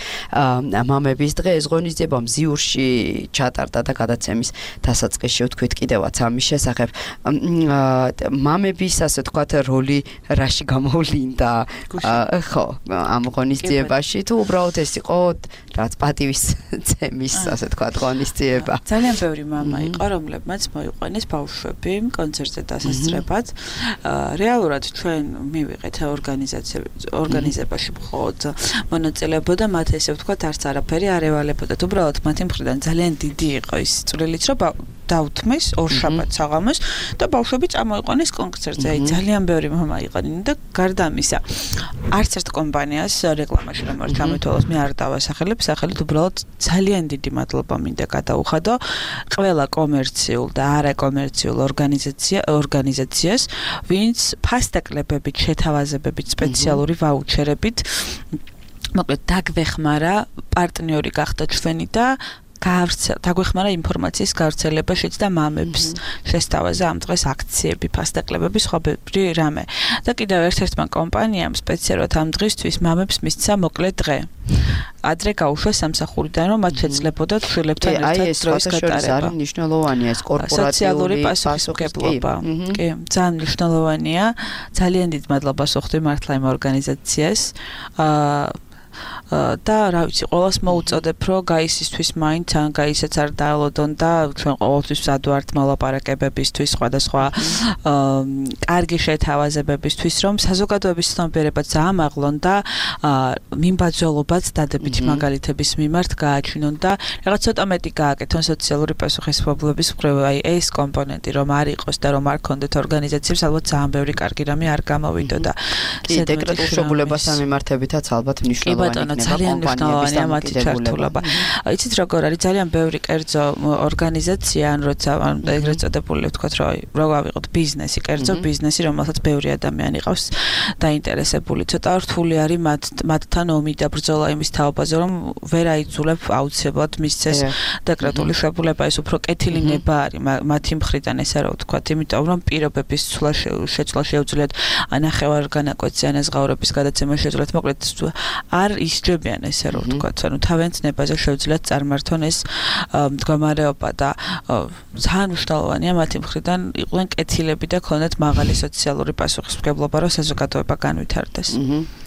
მამების დღე ეს ღონისძიება მზიურში ჩატარდა და გადაცემის დასაწყისში ვთქვით კიდევაც ამის შესახებ მამების ასე ვთქვათ როლი რაში გამოვლინდა ხო ამ ღონისძიებაში თუ უბრალოდ ეს იყო რაც პატივის ცემის ასე ვთქვათ ღონისძიება ძალიან ბევრი მამა იყო რომლებმაც მოიყვანეს ბავშვები კონცერტზე დასასწრებად რეალურად ჩვენ მივიღეთ ორგანიზებაში მხოლოდ მონაწილეობდა მათ ესე ვთქვათ არც არაფერი არ ევალებოდა უბრალოდ მათი მხრიდან ძალიან დიდი იყო ის წვლილიც რომ დაუთმეს ორშაბათს საღამოს და ბავშვები წამოიყვანეს კონცერტზე აი ძალიან ბევრი მამა იყანინ და გარდა ამისა არც ერთ კომპანიას რეკლამაში რომ არ ჩამეთვალოს მე არ დავასახელებ სახელით უბრალოდ ძალიან დიდი მადლობა მინდა გადაუხადო ყველა კომერციულ და არაკომერციულ ორგანიზაციას ვინც ფასტაკლებებით შეთავაზებებით სპეციალური ვაუჩერებით მოკლედ დაგვეხმარა პარტნიორი გახდა ჩვენი და დაგვეხმარა ინფორმაციის გავრცელებაშიც და მამებს შესთავაზა ამ დღეს აქციები, ფასტაკლებები, სხვადასხვა რამე. და კიდევ ერთ-ერთმა კომპანიამ სპეციალურად ამ დღისთვის მამებს მისცა მოკლე დღე. ადრე გაუშვეს სამსახურიდან, რომ მათ შეძლებოდათ შვილებთან ერთად დროის გატარება. არის მნიშვნელოვანია ეს კორპორატიული პასუხისმგებლობა. კი, ძალიან მნიშვნელოვანია. ძალიან დიდ მადლობას ვუხდი მართლა იმ ორგანიზაციას. და რა ვიცი, ყველას მოუწოდებ, რომ გაისისთვის მაინც ან გაისაც არ დაალოდონ და ჩვენ ყოველთვის მზად ვართ მოლაპარაკებებისთვის, სხვადასხვა კარგი შეთავაზებებისთვის, რომ საზოგადოების ცნობიერებაც აამაღლონ და მიმბაძველობაც დადებითი მაგალითების მიმართ გააჩინონ და რაღაც ცოტა მეტი გააკეთონ სოციალური პასუხისმგებლობის მხრივ, აი ეს კომპონენტი რომ არ იყოს და რომ არ ქონდეთ ორგანიზაციებს, ალბათ ძალიან ბევრი კარგი რამე არ გამოვიდოდა. კი, დეკრეტულ შობულებასთან მიმართებითაც ალბათ მნიშვნელოვანია. ძალიან მნიშვნელოვანია მათი ჩართულობა. იცით როგორ არის ძალიან ბევრი კერძო ორგანიზაცია, ან როცა ეგრეთ წოდებული ვთქვათ, რომ ავიღოთ ბიზნესი, კერძო ბიზნესი, რომელსაც ბევრი ადამიანი ყავს დაინტერესებული. ცოტა რთული არის მათთან ომი და ბრძოლა იმის თაობაზე, რომ ვერ აიძულებ აუცილებლად მისცეს დეკრეტული შებულება, ეს უფრო კეთილინება არის მათი მხრიდან ესე რა ვთქვათ, იმიტომ რომ პირობების შეცვლა შეუძლიათ ანახევარ განაკვეთზე ანაზღაურების გადაცემა შეუძლიათ, მოკლედ არ ისჯებიან ესე რომ ვთქვათ, ანუ თავიანთ ნებაზე შეუძლიათ წარმართონ ეს მდგომარეობა და ძალიან მნიშვნელოვანია მათი მხრიდან იყვნენ კეთილები და ქონდათ მაღალი სოციალური პასუხისმგებლობა, რომ საზოგადოება განვითარდეს.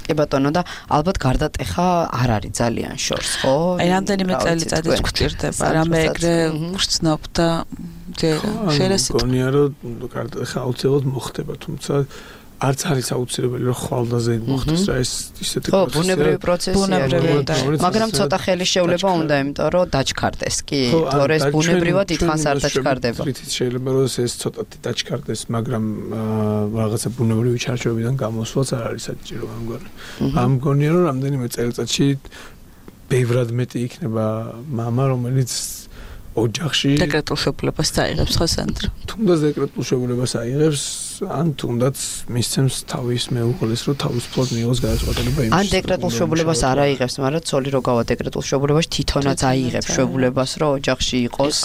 კი ბატონო და ალბათ გარდატეხა არ არის ძალიან შორს, ხო? აი რამდენიმე წელიწადიც გვჭირდება, რამე ეგრე ვგრძნობ და შეიძლება გონია რომ გარდატეხა აუცილებლად მოხდება, თუმცა არც არის აუცილებელი რომ ხვალდაზე მოხდეს რა ეს ისეთი პროცესი. ხო, ბუნებრივი პროცესია, მაგრამ ცოტა ხელი შევლება უნდა, იმიტომ რომ დაჩქარდეს. კი, თორე ეს ბუნებრივად დიდხანს არ დაჩქარდება. შეიძლება რომ ეს ცოტათი დაჩქარდეს, მაგრამ რაღაცა ბუნებრივი ჩარჩოებიდან გამოსვლაც არ არის საჭირო ამგვარი. ამგონია რომ რამდენიმე წელიწადში ბევრად მეტი იქნება მამა, რომელიც ოჯახში დეკრეტულ შობულებას დაიღებს ხო სანდრო? თუნდაც დეკრეტულ შობულებას აიღებს, ან თუნდაც მისცემს თავის მეუღლეს, რომ თავისუფლად მიიღოს გადაწყვეტილება იმის. ან დეკრეტულ შობულებას არ აიღებს, მაგრამ ცოლი რო გავა დეკრეტულ შობულებაში თვითონაც აიღებს შობულებას, რომ ოჯახში იყოს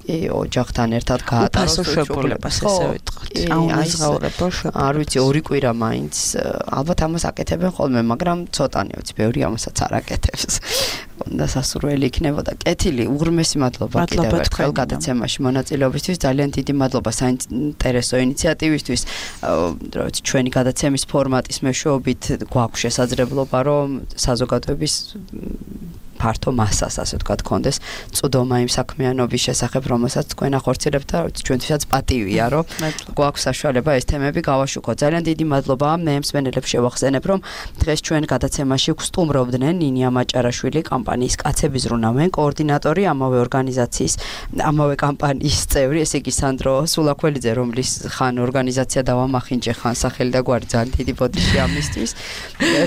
ოჯახთან ერთად გაატაროს შობულებას, ესე ვიტყვით. აუნაზღაურებელ შობულებას. არ ვიცი, ორი კვირა მაინც ალბათ ამას აკეთებენ ხოლმე, მაგრამ ცოტანი ვიცი, ბევრი ამასაც არ აკეთებს. და სასურველი იქნებოდა. კეთილი, უღრმესი მადლობა კიდევ ერთხელ გადაცემაში მონაწილეობისთვის. ძალიან დიდი მადლობა საინტერესო ინიციატივისთვის. რა ვიცი, ჩვენი გადაცემის ფორმატის მეშვეობით გვაქვს შესაძლებლობა, რომ საზოგადოების ფართო მასას, ასე ვთქვათ, კონდეს წვდომა იმ საქმიანობის შესახებ, რომელსაც თქვენ ახორციელებთ და ჩვენთვისაც პატივია, რომ გვაქვს საშუალება ეს თემები გავაშუქოთ. ძალიან დიდი მადლობა მე მსმენელებს შევახსენებ, რომ დღეს ჩვენ გადაცემაში გვსტუმრობდნენ ნინია მაჭარაშვილი, კამპანიის კაცები ზრუნავენ კოორდინატორი, ამავე ორგანიზაციის, ამავე კამპანიის წევრი, ესე იგი სანდრო სულაქველიძე, რომლის ხან ორგანიზაცია დავამახინჯე, ხან სახელი და გვარი ძალიან დიდი ბოდიში ამისთვის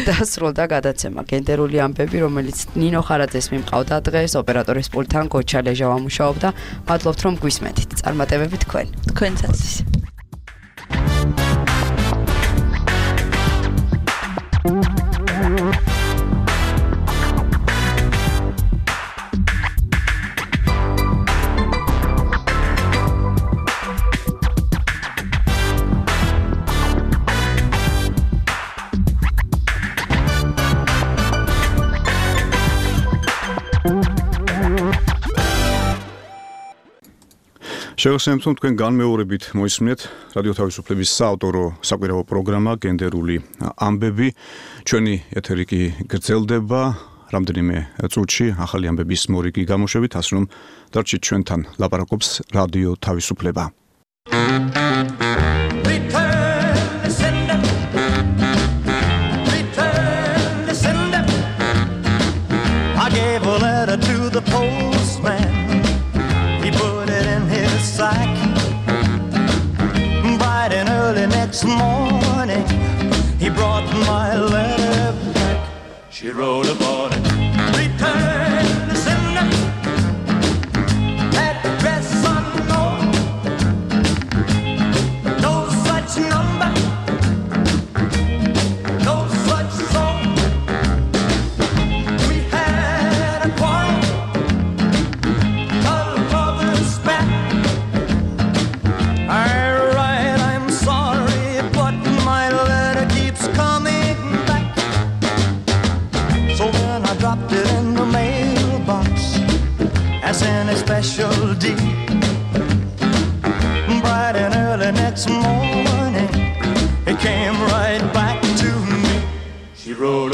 და სრულდა გადაცემა გენდერული ამბები, რომელიც ნინო ხარაძეს მიმყავდა დღეს ოპერატორის პულტთან გოჩა ლეჟავა მუშაობდა. მადლობთ რომ გვისმენთ. წარმატებები თქვენსაც. შევახსენებთ, რომ თქვენ განმეორებით მოისმინეთ რადიო თავისუფლების საავტორო საკვირაო პროგრამა გენდერული ამბები. ჩვენი ეთერი კი გრძელდება რამდენიმე წუთში ახალი ამბების მორიგი გამოშვებით, ასე რომ დარჩით ჩვენთან, ლაპარაკობს რადიო თავისუფლება. Bright and early next morning, he brought my letter back. She wrote upon it, return to sender, address unknown, no such number, no such song. We had a quarrel, a lover's spat. I'm sorry, but my letter keeps coming back. So then I dropped it in the mailbox as in a special deed. Bright and early next morning, it came right back to me. She wrote